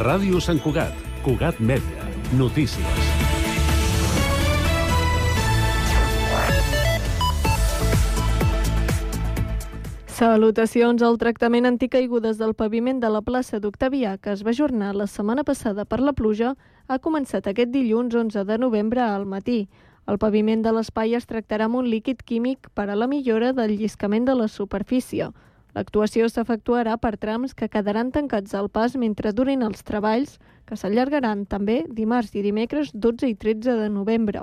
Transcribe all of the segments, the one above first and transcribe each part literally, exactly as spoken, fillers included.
Ràdio Sant Cugat, Cugat Mèdia, notícies. Salutacions. El tractament anticaigudes del paviment de la plaça d'Octavià, que es va ajornar la setmana passada per la pluja, ha començat aquest dilluns onze de novembre al matí. El paviment de l'espai es tractarà amb un líquid químic per a la millora del lliscament de la superfície. L'actuació s'efectuarà per trams que quedaran tancats al pas mentre durin els treballs, que s'allargaran també dimarts i dimecres dotze i tretze de novembre.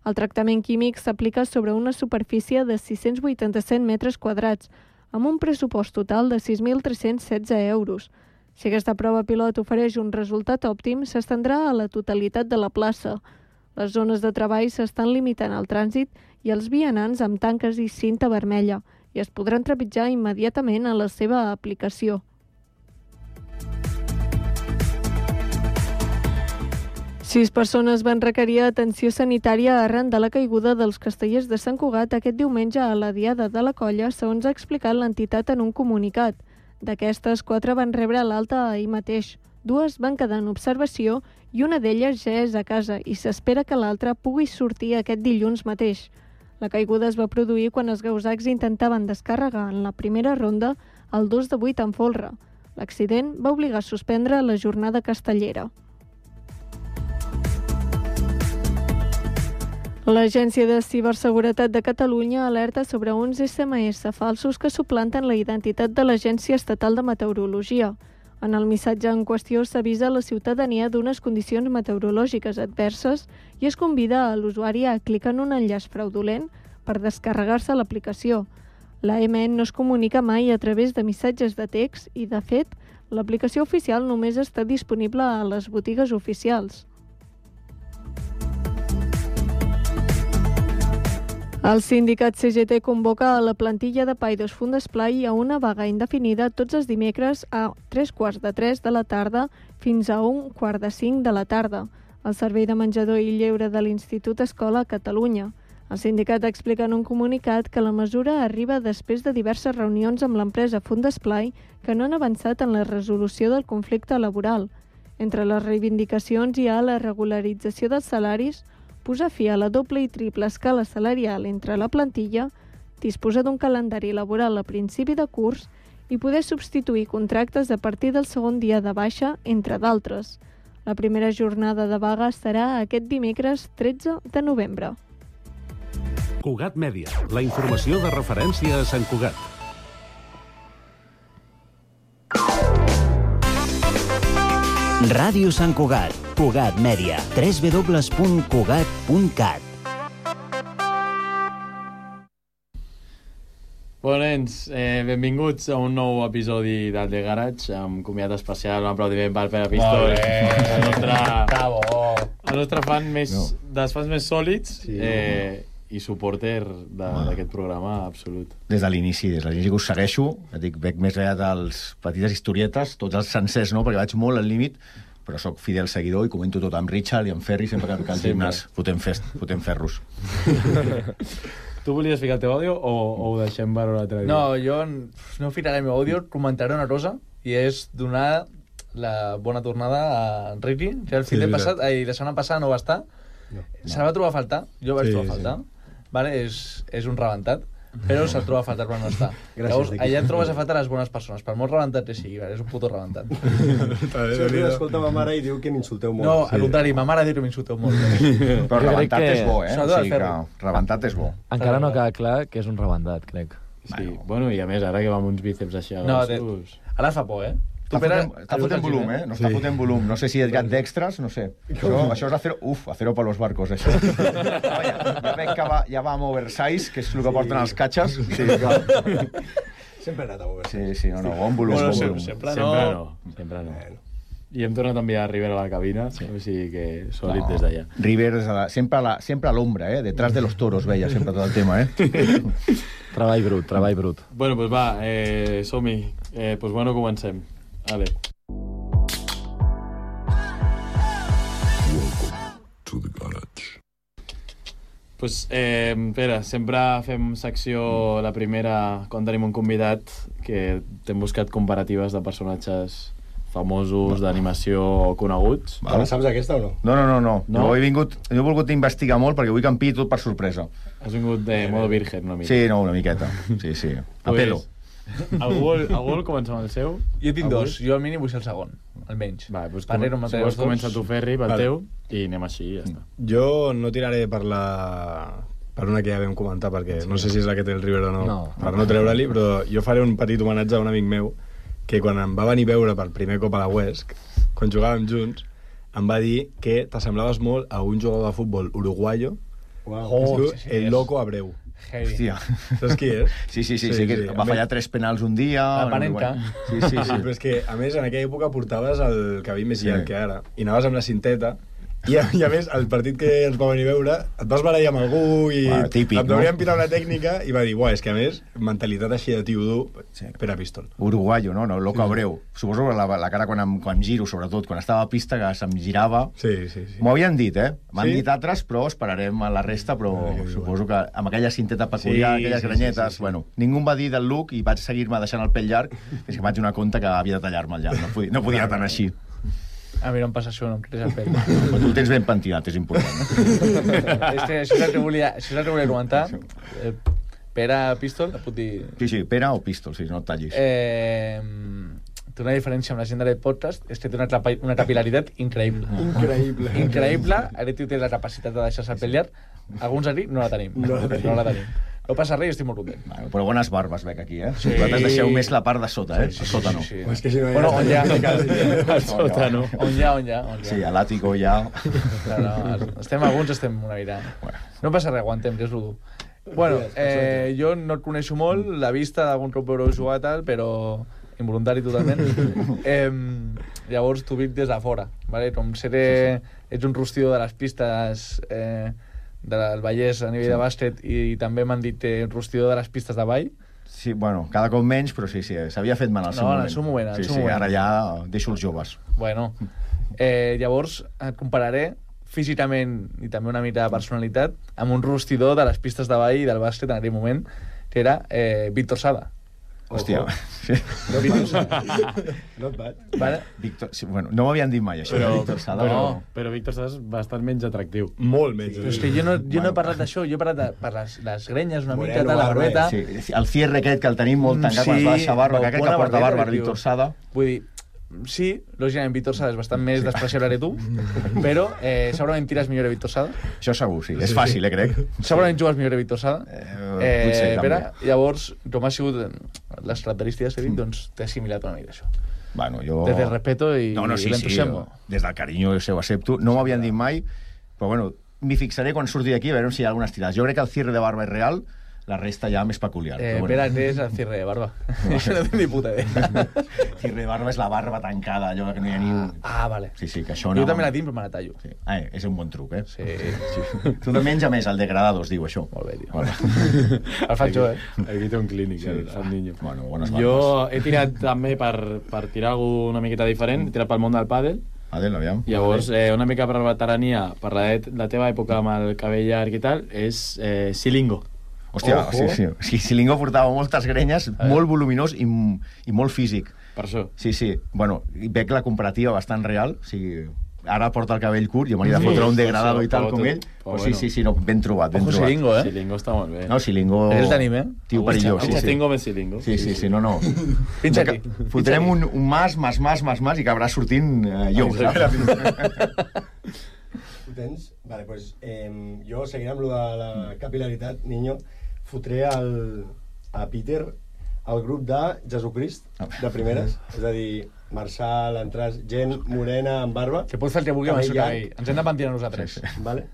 El tractament químic s'aplica sobre una superfície de sis-cents vuitanta-set metres quadrats, amb un pressupost total de sis mil tres-cents setze euros. Si aquesta prova pilot ofereix un resultat òptim, s'estendrà a la totalitat de la plaça. Les zones de treball s'estan limitant al trànsit i els vianants amb tanques i cinta vermella, i es podran trepitjar immediatament a la seva aplicació. Sis persones van requerir atenció sanitària arran de la caiguda dels castellers de Sant Cugat aquest diumenge a la Diada de la Colla, segons ha explicat l'entitat en un comunicat. D'aquestes, quatre van rebre l'alta ahir mateix. Dues van quedar en observació i una d'elles ja és a casa i s'espera que l'altra pugui sortir aquest dilluns mateix. La caiguda es va produir quan els gausacs intentaven descarregar en la primera ronda el dos de vuit en folre. L'accident va obligar a suspendre la jornada castellera. L'Agència de Ciberseguretat de Catalunya alerta sobre uns esse eme esse falsos que suplanten la identitat de l'Agència Estatal de Meteorologia. En el missatge en qüestió s'avisa la ciutadania d'unes condicions meteorològiques adverses i es convida a l'usuari a clicar en un enllaç fraudulent per descarregar-se l'aplicació. La eme ene no es comunica mai a través de missatges de text i, de fet, l'aplicació oficial només està disponible a les botigues oficials. El sindicat ce ge te convoca a la plantilla de Paidós Fundesplai a una vaga indefinida tots els dimecres a tres quarts de tres de la tarda fins a un quart de cinc de la tarda, al servei de menjador i lleure de l'Institut Escola a Catalunya. El sindicat explica en un comunicat que la mesura arriba després de diverses reunions amb l'empresa Fundesplai que no han avançat en la resolució del conflicte laboral. Entre les reivindicacions hi ha la regularització dels salaris, posar fi a la doble i triple escala salarial entre la plantilla, disposar d'un calendari laboral a principi de curs i poder substituir contractes a partir del segon dia de baixa, entre d'altres. La primera jornada de vaga serà aquest dimecres tretze de novembre. Cugat Mèdia, la informació de referència a Sant Cugat. Ràdio Sant Cugat, Cugat Mèdia, w w w punt cugat punt cat. Bon, nens, eh, benvinguts a un nou episodi del The Garage, amb comiat especial, un aplaudiment per Pere Pistol, el nostre, el nostre fan més, no. dels fans més sòlids, sí, eh, i suporter d'aquest programa absolut. Des de l'inici, des de l'inici que us segueixo, dic, veig més enllà dels petites historietes, tots els sencers no, perquè vaig molt al límit, però sóc fidel seguidor i comento tot amb Richard i amb Ferri sempre que al gimnàs fotem, fest, fotem ferros. Tu volies ficar el teu àudio o, o ho deixem per un altre dia? No, jo no ficaré el meu àudio, comentaré una cosa, i és donar la bona tornada a Ricky, que el fin de passat, ai, la setmana passada no va estar, no, no. Se va trobar a faltar, jo vaig sí, trobar a faltar, sí. Vale? És, és un rebentat, però se'l troba a faltar quan no està. Gràcies, llavors, allà et trobes a faltar les bones persones, per molt rebentat que sigui, és un puto rebentat. Sempre escolta ma mare i diu que m'insulteu molt. No, al contrari, ma mare diu que m'insulteu molt. Però rebentat que... és bo, eh? O sigui que rebentat és bo. Encara no queda clar que és un rebentat, crec. Sí, bueno, i a més, ara que va amb uns bíceps així... No, ara fa por, eh? Està fotent, està fotent volum, eh? No sí. Està fotent volum. No sé si hi ha d'extras, no sé. Això, això és acero... Uf, acero per los barcos, això. ja, ja veig que va, ja va amb oversize, que és el que sí. porten els catxes. Sí, clar. Sempre he anat a oversize. Sí, sí, no, no, bon volum, bueno, bon volum. Sempre no. Sempre no. Sempre no. Bueno. I hem tornat a enviar River a la cabina, sí. O sigui que sòlid no. Des d'allà. River la, sempre, a la, sempre a l'ombra, eh? Detrás de los toros, veia sempre tot el tema, eh? Treball brut, treball brut. Bueno, doncs pues va, eh, som-hi. Eh, pues bueno, comencem. Ale. To the garage. Pues, eh, Pere, sempre fem secció la primera quan tenim un convidat que t'hem buscat comparatives de personatges famosos d'animació coneguts. Te la saps aquesta o no? No, no, no, no. No? Jo he vingut, jo he volgut investigar molt perquè vull que em pilli tot per sorpresa. Has vingut de modo virgen una mica. Sí, no, una miqueta. Sí, sí. A Pues, pelo. Algú, algú vol començar amb el seu? Jo tinc Avui? dos, jo al mínim vull ser el segon, almenys. Va, doncs Parlem com, entre si els vols dos. comença tu, Ferri, pel Vale. teu, i anem així i ja està. Jo no tiraré per la... per una que ja vam comentar, perquè no sé si és la que té el River o no, No. per no treure-li, però jo faré un petit homenatge a un amic meu que quan em va venir a veure per primer cop a la Huesc, quan jugàvem junts, em va dir que t'assemblaves molt a un jugador de futbol uruguaio Uau. que es Oh, diu sí, sí, el és- Loco Abreu. Heavy. Hòstia. Saps qui és? Sí, sí, sí, sí, sí que va fallar tres penals un dia. La Panenka. Sí, sí, Sí, sí. però és que, a més, en aquella època portaves el cabell més Sí. llarg que ara, i anaves amb la cinteta, i a, i a més, el partit que ens va venir a veure, et vas barallar amb algú i Bueno, típic, et no? volien pitar una tècnica i va dir, buah, és que a més, mentalitat així de tio dur, Sí. per a pistol. Uruguayo, no? no Loco Abreu. Suposo que la, la cara quan, em, quan giro, sobretot, quan estava a pista, que se'm girava... Sí, sí, sí. M'ho havien dit, eh? M'han Sí? dit altres, però esperarem a la resta, però Ah, que suposo que amb aquella cinteta peculiar, Sí, aquelles sí, granyetes... sí, sí, sí. Bueno, ningú em va dir del look i vaig seguir-me deixant el pèl llarg, fins que em vaig donar compte que havia de tallar-me el llarg. No podia, no podia anar tan així. A mi no em passa això, no em creix el pèl. Però tu el tens ben pentinat, és important. És que això és el que volia, això és el que volia comentar. Eh, Pere Pistol, et puc dir... Sí, sí, pera o pistol, sí, no et tallis. Eh, té una diferència amb la gent d'aquest podcast, és que té una, capa- una capilaritat increïble. Increïble. Increïble. Aquest tio té la capacitat de deixar-se el pèl llarg. Alguns aquí no la tenim. No la tenim. No la tenim. No passa res i estic molt content. Bueno, però bones barbes veig aquí, eh? Sí. Vosaltres deixeu més la part de sota, eh? Sí, sí, A sota sí, no. sí, sí. És que si no Bueno, on hi ha... Al sòtano. On hi ha, on hi ha, on hi ha. Sí, a l'àtico ja... No, no, estem alguns, estem una mica... Bueno. No passa res, aguantem, que és l'u. Bueno, eh, jo no et coneixo molt, la vista d'algun cop veure jugar tal, però involuntari totalment. eh, llavors t'ho dic des de fora, vale? Com seré... Ets un rostidor de les pistes eh, del Vallès a nivell de bàsquet i també m'han dit eh, rostidor de les pistes de ball. Sí, bueno, cada cop menys, però sí, sí, s'havia fet mal al seu No, en moment. el seu moment, en el sí, seu sí, moment. ara ja deixo els joves. Bueno, eh, llavors et compararé físicament i també una mica de personalitat amb un rostidor de les pistes de ball i del bàsquet en aquell moment, que era eh, Víctor Sada. Hòstia. Sí. Not bad. Vale? Víctor, sí, bueno, no m'havien dit mai això, Però, però, Víctor Sada. però, No. però Víctor Sada és bastant menys atractiu. Molt menys. Però és que jo no, jo no he parlat d'això, jo he parlat de, per les, les grenyes una Moreno, mica, tal, la barba, barbeta. Sí, el cierre aquest que el tenim molt tancat quan es va deixar barba, que crec que bona porta barba barbeta, el Víctor tio. Sada. Vull dir, sí, lògicament Víctor Sada és bastant més despreciable que tu, però eh, segurament tires millor que Víctor Sada. Això segur, sí. És fàcil, eh, crec. Segurament jugues millor que Víctor Sada. Eh, Eh, potser, Pere, també. llavors, com ha sigut eh, les característiques que he dit, doncs t'he assimilat una mica això. Bueno, jo... Des del respeto i, No, no, sí, i sí, l'entusiasmo. jo, des del carinyo se ho accepto. No m'havien dit mai, però bueno, m'hi fixaré quan surti d'aquí a veure si hi ha algunes tirades. Jo crec que el cierre de barba és real, la resta ja més peculiar. Eh, però Pere, què és el cierre de barba? Això no tinc ni puta idea. Cierre de barba és la barba tancada, allò que no hi ha ni un... Ah, vale. Sí, sí, que això Jo també la tinc, però me la tallo. Sí. Ah, eh, és un bon truc, eh? Sí. Sí. Tu de menys a més, el degradado es diu això. Molt bé, tio. Bueno, El faig jo, eh? Aquí té un clínic, Sí. el, el niño. bueno bones Jo barbes. he tirat també per, per tirar alguna una miqueta diferent, he tirat pel món del pàdel. Adel, aviam. Llavors, eh, una mica per la veterania, per la, de, la teva època amb el cabell llarg i tal, és eh, Silingo. Hòstia, Ojo. sí, sí. sí. Silingo portava moltes grenyes, molt voluminós i, i molt físic. Per això. Sí, sí. Bueno, i veig la comparativa bastant real. O sigui, ara porta el cabell curt i m'hauria de Sí, fotre un per degradado això, i tal però com tot- ell. però Però sí, bueno. sí, sí, no, ben trobat, ben Ojo trobat. Silingo, eh? Silingo està molt bé. No, Silingo... El tenim, eh? Tio perillós, sí, Agustín sí. Gómez Silingo. Sí, sí, sí, no, no. Pinxa Que aquí. Fotrem un, un mas, mas, mas, mas, mas i acabarà sortint eh, jo, saps? Ho tens? Vale, pues, eh, jo, seguint amb lo de la capilaritat, niño, fotré el, a Peter al grup de Jesucrist, de primeres, és a dir, Marçal, Entràs, gent morena amb barba. Que pots fer el que vulgui amb el seu Cabell cabell. Ens hem de pentinar nosaltres. Sí, sí. Vale?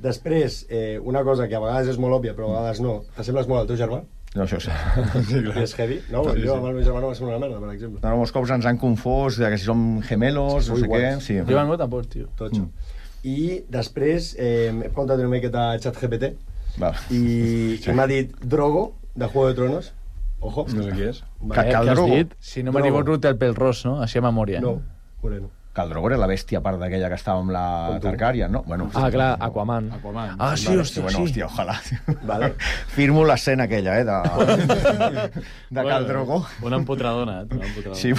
Després, eh, una cosa que a vegades és molt òbvia, però a vegades no. T'assembles molt al teu germà? No, això sí. I és heavy? No, Sí, jo sí. amb el meu germà no va ser una merda, per exemple. No, molts cops ens han confós de que si som gemelos, Sou no sé què. iguals. Sí. Jo no tampoc, tio. Totxo. I després eh, he preguntat una miqueta a ChatGPT Va. i, i m'ha dit Drogo, de Juego de Tronos. Ojo. No sé qui és. Ca- Cal Què has Drogo. dit? Si no m'equivoco, té el pèl ros, no? Així a memòria. No, moreno. Khal Drogo era la bèstia a part d'aquella que estava amb la Targaryen, no? Bueno, ah, clar, Aquaman. Aquaman. Ah, sí, vale, hòstia, bueno, sí. Hòstia, ojalà. Vale. Firmo l'escena aquella, eh, de, de Khal Drogo. Una empotradona, eh? Una empotradona. Sí,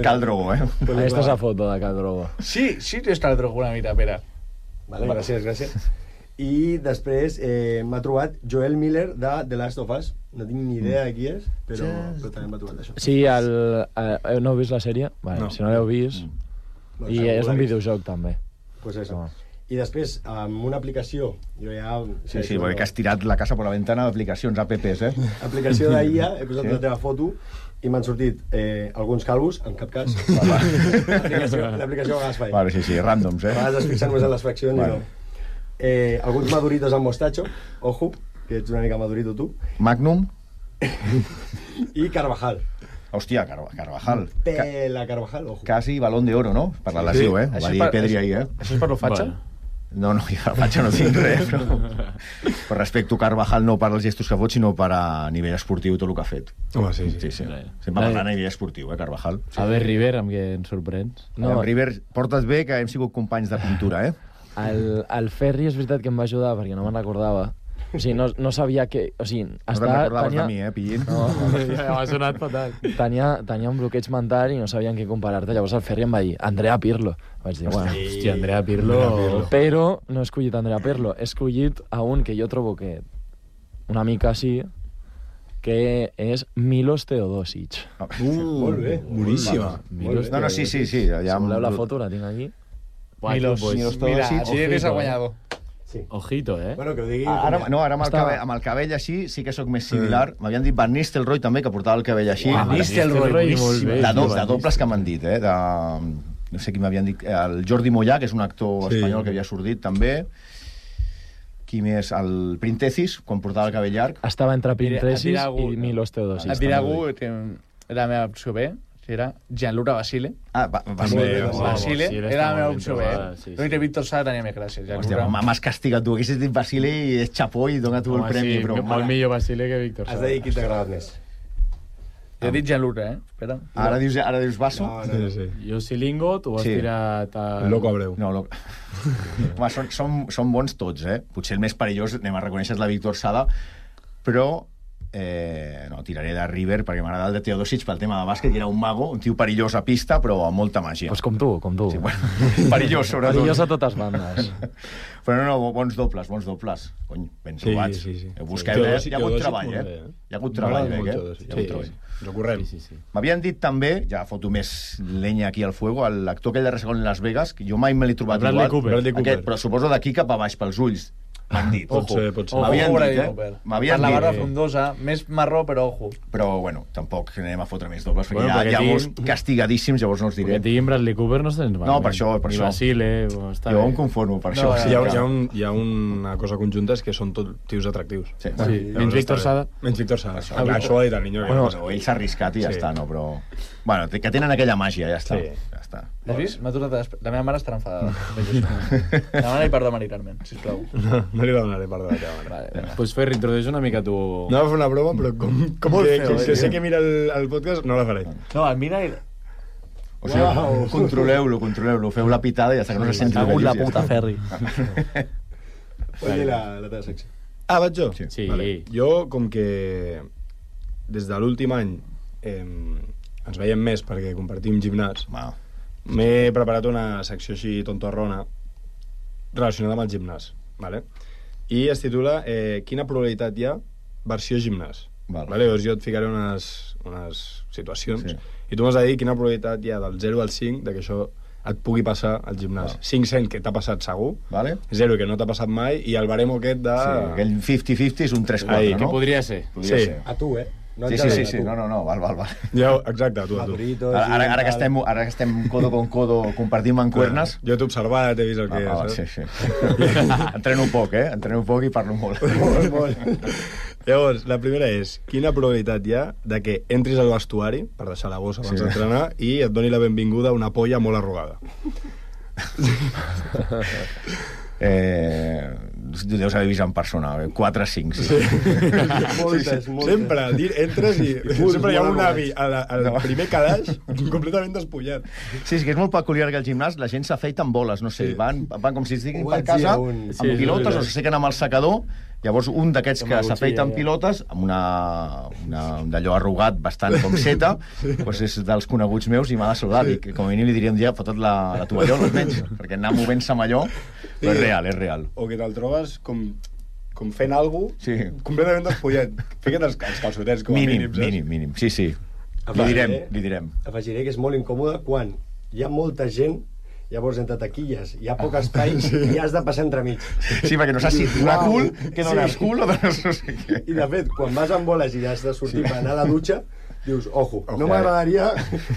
Khal Drogo, eh? Aquesta és la foto de Khal Drogo. Sí, sí, està el Drogo una mica, Pere. Vale, gràcies, gràcies. I després eh, m'ha trobat Joel Miller de The Last of Us. No tinc ni idea de qui és, però, però també m'ha trobat això. Sí, el, el, no heu vist la sèrie? Vale, No. si no l'heu vist... Bueno, I segur és l'he un vist. videojoc, també. Pues eso. No. I després, amb una aplicació, jo ja... Sí, sí, perquè has tirat la casa per la ventana d'aplicacions, apps, eh? Aplicació d'I A, he posat Sí. la teva foto i m'han sortit eh, alguns calvos, en cap cas. L'aplicació l'aplicació a vegades fa. Vale, sí, sí, ràndoms, A eh? vegades es fixen només en les fraccions Vale. i no. Eh, alguns maduritos amb mostacho, ojo, que ets una mica madurito tu. Magnum. I Carvajal. Hòstia, Car Carvajal. Ca Pela Carvajal, ojo. quasi balón de oro, no? Per la lesió, eh? Ho Això va és dir per- Pedri això- ahir, eh? Això és per lo fatxa? Bueno. No, no, jo a Fatxa no tinc res, però... Per respecte a Carvajal, no per als gestos que fot, sinó per a nivell esportiu tot el que ha fet. Home, sí, sí. Sí, sí. Rai. Sempre parlant a nivell esportiu, eh, Carvajal. A ver, River, amb què ens sorprens? No. River, porta't bé, que hem sigut companys de pintura, eh? El, el Ferri és veritat que em va ajudar perquè no me'n recordava. O sigui, no, no sabia que... O sigui, No te'n està, recordaves tenia, de mi, eh, pillín? No, Ja m'ha sonat fatal. tenia, tenia un bloqueig mental i no sabia en què comparar-te. Llavors el Ferri em va dir, Andrea Pirlo. Vaig dir, bueno, Hòstia, Andrea Pirlo... però no he escollit Andrea Pirlo. He escollit a un que jo trobo que una mica sí, que és Milos Teodosic. Uh, Molt bé. boníssima. Milos No, no, sí, sí, sí. Ja Si voleu la foto, la tinc aquí. Milos, pues, Milos mira, Teodosic. sí, eres el Ojito, eh? guanyador. Sí. Ojito, eh? Bueno, que ho digui... Ah, Ara, no, ara amb el, Estava- cabell, amb el cabell així sí que sóc més similar. M'havien dit Van Nistelrooy també, que portava el cabell així. Van Nistelrooy, molt bé. De, do, Van de dobles que m'han dit, eh? De, no sé qui m'havien dit. El Jordi Mollà, que és un actor Sí. espanyol que havia sortit també. Qui més? El Printesis, quan portava el cabell llarg. Estava entre Et dirà Pintresis algú- i Milos Teodosic. Et dirà algú que era la meva opció B, que era Gianluca Basile. Ah, va, va Molt bé, ser... Basile. Basile Basile era la està meva molt opció ben B. trobada, sí, L'únic sí. que Víctor Sala tenia més gràcia. Hòstia, Gianluca. m'has castigat tu. Haguessis dit Basile i és xapó i dona tu el Home, premi, sí, però... molt millor Basile que Víctor Has Sala. de dir qui t'ha agradat més. Jo he dit Gianluca, eh? Espera. Ara dius, ara dius Basso? No, no, no. Sí, sí. Jo Silingo, tu has Sí. tirat... A... El Loco Abreu. No, lo... Home, són, són, són bons tots, eh? Potser el més perillós, anem a reconèixer, és la Víctor Sada, però eh, no, tiraré de River perquè m'agrada el de Teodosic pel tema de bàsquet, i era un mago, un tio perillós a pista, però amb molta màgia. Pues com tu, com tu. Sí, bueno, perillós, sobretot. Perillós a totes bandes. Però no, no, bons dobles, bons dobles. Cony, ben Sí, trobats. sí, sí. Heu buscat, eh? Teodosic- Hi ha hagut Teodosic treball, molt eh? bé, eh? Hi ha hagut treball, M'agrada molt eh? Teodosic. Hi ha hagut Sí, treball. sí. Ens ho correm. Sí, sí, sí. M'havien dit també, ja foto més lenya aquí al fuego, l'actor aquell de Resacón en Las Vegas, que jo mai me l'he trobat Bradley igual. Cooper. Bradley Cooper. Aquest, però suposo d'aquí cap a baix, pels ulls. M'han dit, Pot ojo. ser, pot ser. M'havien Ojo, dit, Bradley eh? Cooper. M'havien Per la dit. barba frondosa, més marró, però ojo. Però, bueno, tampoc anem a fotre més dobles, perquè Bueno, hi ha, perquè hi ha tinguin- molts castigadíssims, llavors no els Que diré. diguin Bradley Cooper no tens malament. No, per això, per Ni això. Basile, o està Jo bé. em conformo per No, això. eh, Sí, hi, ha, que- hi, ha un, hi ha una cosa conjunta, és que són tot tios atractius. Sí, Sí, bueno, menys Llavors Víctor està bé. Sada. Menys Víctor Sada. Això, Això, això ho ha dit el niño. bueno, Que... bueno, ell s'ha arriscat i ja Sí. està, no? Però... Bueno, que tenen aquella màgia, ja està. Sí. Ja està. Has vist? M'ha tornat a despe- La meva mare estarà enfadada. Demana-li perdó a Mari Carmen, sisplau. No, no li demanaré perdó a la teva mare. Vale, vinga. Pues Ferri, introdueix una mica tu... No va fer una broma, però com, com, Molt que, feo, com eh, que sé tio. que mira el, el podcast, no la faré. No, el mira i... O sigui, Uau. controleu-lo, controleu-lo, feu la pitada i ja està, que no se senti el Cago en la vellut, ja puta, està. Ferri. Pots dir la, la teva secció. Ah, vaig jo? Sí. Sí. Vale. Jo, com que des de l'últim any eh, ens veiem més perquè compartim gimnàs, Va. m'he preparat una secció així tontorrona relacionada amb el gimnàs, vale? I es titula eh, Quina probabilitat hi ha versió gimnàs. Val. Vale? Llavors jo et ficaré unes, unes situacions Sí. i tu m'has de dir quina probabilitat hi ha del zero al cinc de que això et pugui passar al gimnàs. Val. cinc cent que t'ha passat segur, Vale? zero que no t'ha passat mai, i el baremo aquest de... Sí, aquell cinquanta cinquanta és un tres quatre, Ai, no? Que podria ser. Podria Sí. ser. A tu, eh? No Sí, et sí, general, sí, a sí, tu. no, no, no, val, val, val. Ja, exacte, tu, a tu. Maduritos Ara, ara, i ara, que tal. estem, ara que estem codo con codo compartint mancuernes... Jo t'he observat, he vist el que Ah, ah, és. sí, eh? sí. Entreno poc, eh? Entreno poc i parlo molt. Molt, molt. Llavors, la primera és, quina probabilitat hi ha de que entris al vestuari, per deixar la bossa abans Sí. d'entrenar, i et doni la benvinguda a una polla molt arrugada? Eh, deus haver vist en persona, quatre cinc, sí. Moltes, moltes. Sempre, entres i sempre hi ha un avi al, al No. primer calaix completament despullat. Sí, sí, que és molt peculiar que al gimnàs la gent s'afeita amb boles, no sé, Sí. van, van com si estiguin Ho per vaig dir casa, a un- amb Sí, pilotes, sí, o sí. s'assequen amb el secador, llavors un d'aquests Amb que la s'afeita amb cuchilla, ja. pilotes, amb una, una, un d'allò arrugat, bastant com seta, doncs és dels coneguts meus i m'ha de saludar. Sí. Sí. Com a mínim li diria un dia, fotot la, la tovallola almenys, perquè anar movent-se amb allò, però és real, és real. O que te'l trobes com, com fent alguna cosa Sí. completament despullat. Fica't els, els calçotets com a Mínim, mínims, saps? mínim, mínim, sí, sí. Li Afegiré- direm, li direm. Afegiré que és molt incòmode quan hi ha molta gent, llavors entre taquilles hi ha poc espai i has de passar entremig. Sí, perquè no saps si donar Uau. cul, que dones Sí. cul o dones no sé què. I de fet, quan vas amb boles i has de sortir per anar a la dutxa, dius, ojo, Ojo, no eh. m'agradaria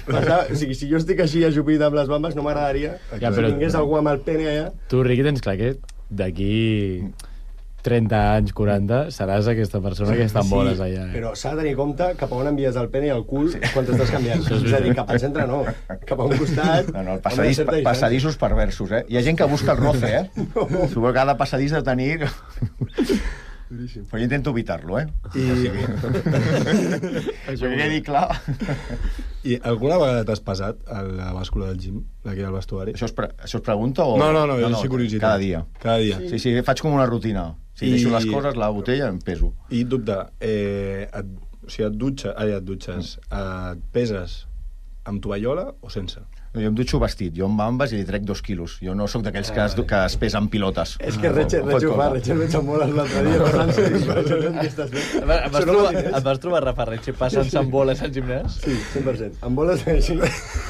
passar... O sigui, si jo estic així ajupit amb les bambes, no m'agradaria Ja, que però- tingués algú amb el pene allà. Tu, Riqui, tens clar que d'aquí trenta anys, quaranta, seràs aquesta persona que està amb boles allà. Eh? Però s'ha de tenir compte cap a on envies el pene i el cul quan t'estàs canviant. És a dir, cap al centre no, cap a un costat... No, no, a una passadís, certa distància. passadissos perversos, eh? Hi ha gent que busca el roce, eh? No. Suposo que cada passadís de tenir... Però jo intento evitar-lo, eh? I, Això que quedi clar. I alguna vegada t'has passat a la bàscula del gym, d'aquí al vestuari? Això es, pre això es pregunta o...? No, no, no, jo no, curiositat. Cada dia. Cada dia. Sí, sí, faig com una rutina. Si I- deixo les coses, la botella, em peso. I dubte, eh, et, o sigui, et, dutxa, ai, et dutxes, et peses amb tovallola o sense? No, jo em dutxo vestit, jo amb bambes i li trec dos quilos. Jo no sóc d'aquells que, es, que es pesa amb pilotes. És que Retxer, Retxer ho fa, Retxer veig amb boles l'altre dia passant-se i Retxer, què estàs fent? Et vas, et vas, trobar, et vas trobar Rafa Retxe passant-se amb boles al gimnàs? Sí, cent per cent. Amb boles així,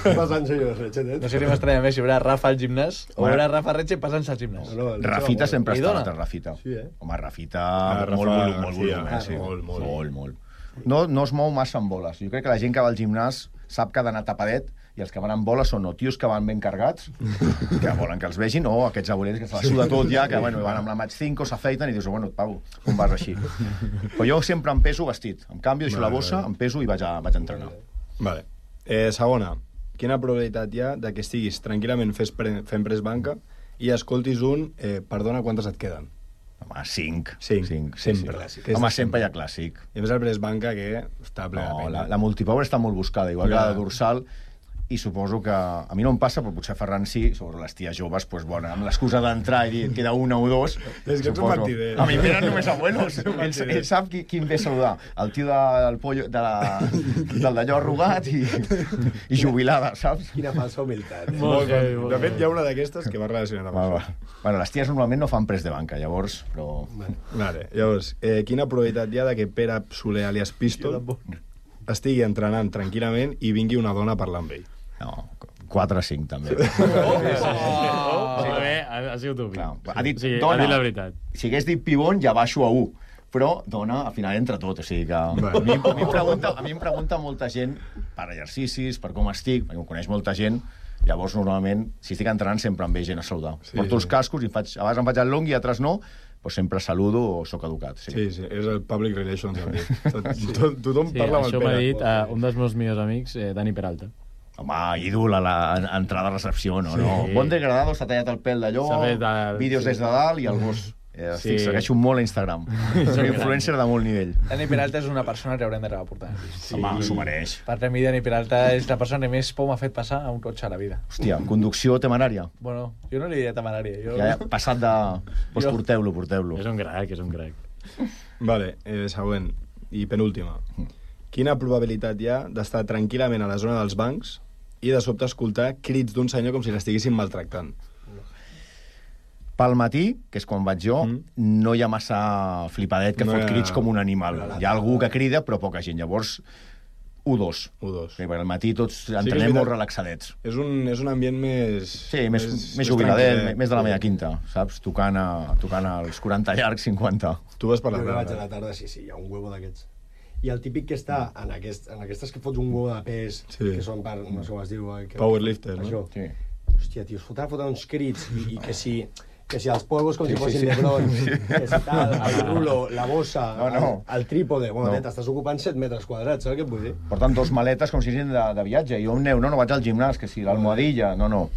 passant-se jo, Retxer, eh? No sé si m'estranya més si veurà Rafa al gimnàs o Bueno. veurà Rafa Retxe passant-se al gimnàs. No, no, el Rafita Retxer, sempre Li està dona? altre, Rafita. Sí, eh? Home, Rafita, Ah, Rafa molt volum, molt García. volum, eh? Sí. Ah, molt, molt. molt, molt. No, no es mou massa amb boles. Jo crec que la gent que va al gimnàs sap que ha d'anar tapadet i els que van amb boles són o tios que van ben cargats, que volen que els vegin, o aquests abuelets que se la suda tot ja, que bueno, van amb la match cinc, s'afeiten i dius, bueno, Pau, com vas així? Però jo sempre em peso vestit. Em canvio, deixo la Vale, bossa, vale. em peso i vaig a, vaig a entrenar. Vale. Eh, segona, quina probabilitat hi ha de que estiguis tranquil·lament fes pre fent pres banca i escoltis un eh, perdona, quantes et queden? Home, cinc. Cinc. cinc sí, Sempre. sí. Que és Home, de sempre hi ha sempre. clàssic. I a més el pres banca que està ple de No, pena. la, la multipower està molt buscada, igual que Ja. la dorsal, i suposo que a mi no em passa, però potser a Ferran sí, sobre les ties joves, doncs, bueno, amb l'excusa d'entrar i dir et queda una o dos, És que ets un mentider. A mi em venen només abuelos. Ets un Ell, mentider. ell sap qui, qui em ve a saludar. El tio de, del pollo, de la, del d'allò arrugat i, i jubilada, saps? Quina falsa humilitat. Eh? Molt bé, molt De fet, bé. hi ha una d'aquestes que va relacionada amb Bueno, això. bueno, les ties normalment no fan pres de banca, llavors, però... Vale, llavors, eh, quina probabilitat hi ha de que Pere Soler, alias Pistol, estigui entrenant tranquil·lament i vingui una dona a parlar amb ell? No, quatre a cinc, també. Oh, molt bé, ha, ha sigut un Clar, ha dit o sigui, dona. ha dit la veritat. Si hagués dit pibon, ja baixo a u. Però dona, al final entra tot. O sigui que... Vale. A, mi, a, mi em pregunta, a mi em pregunta molta gent per exercicis, per com estic, perquè em coneix molta gent. Llavors, normalment, si estic entrenant, sempre em ve gent a saludar. Sí, Sí, Porto els sí. cascos i em faig, a vegades em faig el long i altres no, però sempre saludo o sóc educat. Sí. Sí, sí, és el public relations. em diu. Tot, tot, tothom Sí, parla amb el això m'ha Pere. dit uh, un dels meus millors amics, eh, Dani Peralta. Home, ídol a la a entrada a recepció, no? Sí. no. Bon degradado, s'ha tallat el pèl d'allò, S'ha fet el- vídeos sí. des de dalt i el gos. Eh, Sí. estic, segueixo molt a Instagram. Soc influencer de molt nivell. Dani Peralta és una persona que haurem de reportar. Sí. Home, s'ho mereix. Per mi, Dani Peralta és la persona que més por m'ha fet passar a un cotxe a la vida. Hòstia, conducció temerària. Bueno, jo no li diria temerària. Jo... Ja, ja, passat de... Doncs Jo- porteu-lo, porteu-lo. És un crac, és un crac. Vale, eh, següent i penúltima. Quina probabilitat hi ha d'estar tranquil·lament a la zona dels bancs i de sobte escoltar crits d'un senyor com si l'estiguessin maltractant? Pel matí, que és quan vaig jo, Mm. no hi ha massa flipadet que No fot hi ha- crits com un animal. Hi ha algú que crida, però poca gent. Llavors, u dos. U dos. Perquè al matí tots que és entrenem veritat. molt relaxadets. És un, és un ambient més... Sí, més, més, més jubiladet, tranquil·let. més de la meva quinta, saps? Tocant, a, tocant als quaranta llargs, cinquanta. Tu vas per la Jo que vaig a tarda. la tarda, sí, sí, hi ha un huevo d'aquests. I el típic que està en, aquest, en aquestes que fots un huevo de pes, Sí. que són per, no sé com es diu... eh, Que, Powerlifter, no? Això. Sí. Hòstia, tio, es fotrà fotre uns crits i, i que si... Que si els polvos com Sí, si fossin sí, sí. Lebron, que si tal, el rulo, la bossa, No, no. El, el trípode... Bueno, No. no. t'estàs ocupant set metres quadrats, saps què et vull dir? Porten dos maletes com si fossin de, de viatge. Jo em neu, no, no vaig al gimnàs, que si l'almohadilla, no, no.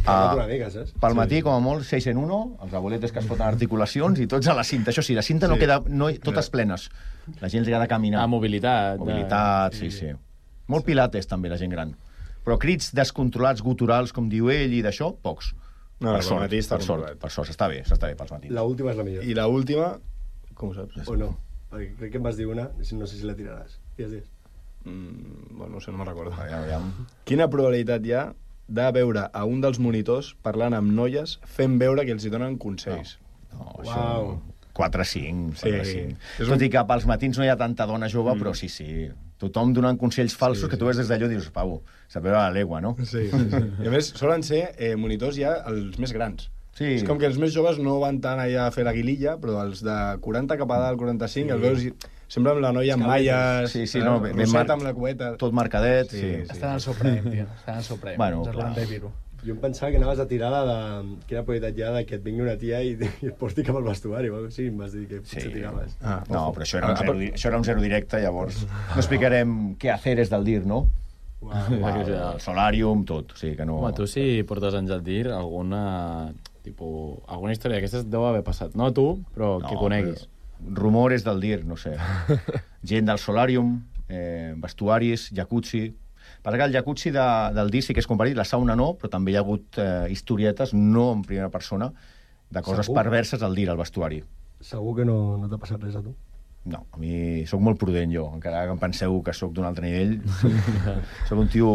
Parla't una mica, saps? Pel matí, com a molt, seis en uno, els abueletes que es foten articulacions i tots a la cinta. Això sí, la cinta no queda... No, totes plenes. La gent li ha de caminar. Ah, mobilitat. Mobilitat, sí, sí. Molt pilates, també, la gent gran. Però crits descontrolats, guturals, com diu ell, i d'això, pocs. No, per pel sort, matí està per sort, controlat. per sort, s'està bé, s'està bé pels matins. La última és la millor. I la última, com ho saps? O no? Perquè crec que em vas dir una, no sé si la tiraràs. Digues, digues. Mm, bueno, no sé, no me'n recordo. Aviam, aviam. Quina probabilitat hi ha de veure a un dels monitors parlant amb noies fent veure que els hi donen consells? No, Uau. això... quatre cinc, Sí. quatre cinc. És Tot un- i que pels matins no hi ha tanta dona jove, però sí, sí. Tothom donant consells falsos Sí, que tu ves des d'allò i dius, Pau, saber a la legua, no? Sí, sí, sí. I a més, solen ser eh, monitors ja els més grans. Sí. És com que els més joves no van tant allà a fer la guililla, però els de quaranta cap a dalt, quaranta-cinc, sí. Els veus i sempre amb la noia amb malles, Sí, sí, no, ben roseta mar- amb la cueta... Tot marcadet, Sí, sí. sí. Estan al seu prem, tio. Estan al seu prem. Bueno, Els clar. quaranta i pico. Jo em pensava que anaves a tirar la de... Quina probabilitat hi ha de que et vingui una tia i, i et porti cap al vestuari o alguna cosa així, em vas dir que potser Sí. tiraves. Ah, No, ojo. però això era, un Ah, zero, di- això era un zero directe, llavors no explicarem què hacer és del dir, no? Uau. El, el solàrium, tot. O sigui que no... Home, tu si portes anys al dir, alguna... Tipo, alguna història d'aquestes deu haver passat. No tu, però No, que coneguis. però Rumores del dir, no sé. Gent del solàrium, eh, vestuaris, jacuzzi... Passa que el jacuzzi de, del dir sí que és comparit, la sauna no, però també hi ha hagut eh, historietes, no en primera persona, de coses Segur? perverses al dir, al vestuari. Segur que no, no t'ha passat res a tu. No, a mi sóc molt prudent jo, encara que em penseu que sóc d'un altre nivell. Sóc un tio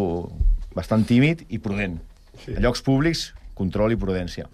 bastant tímid i prudent. Sí. A llocs públics, control i prudència.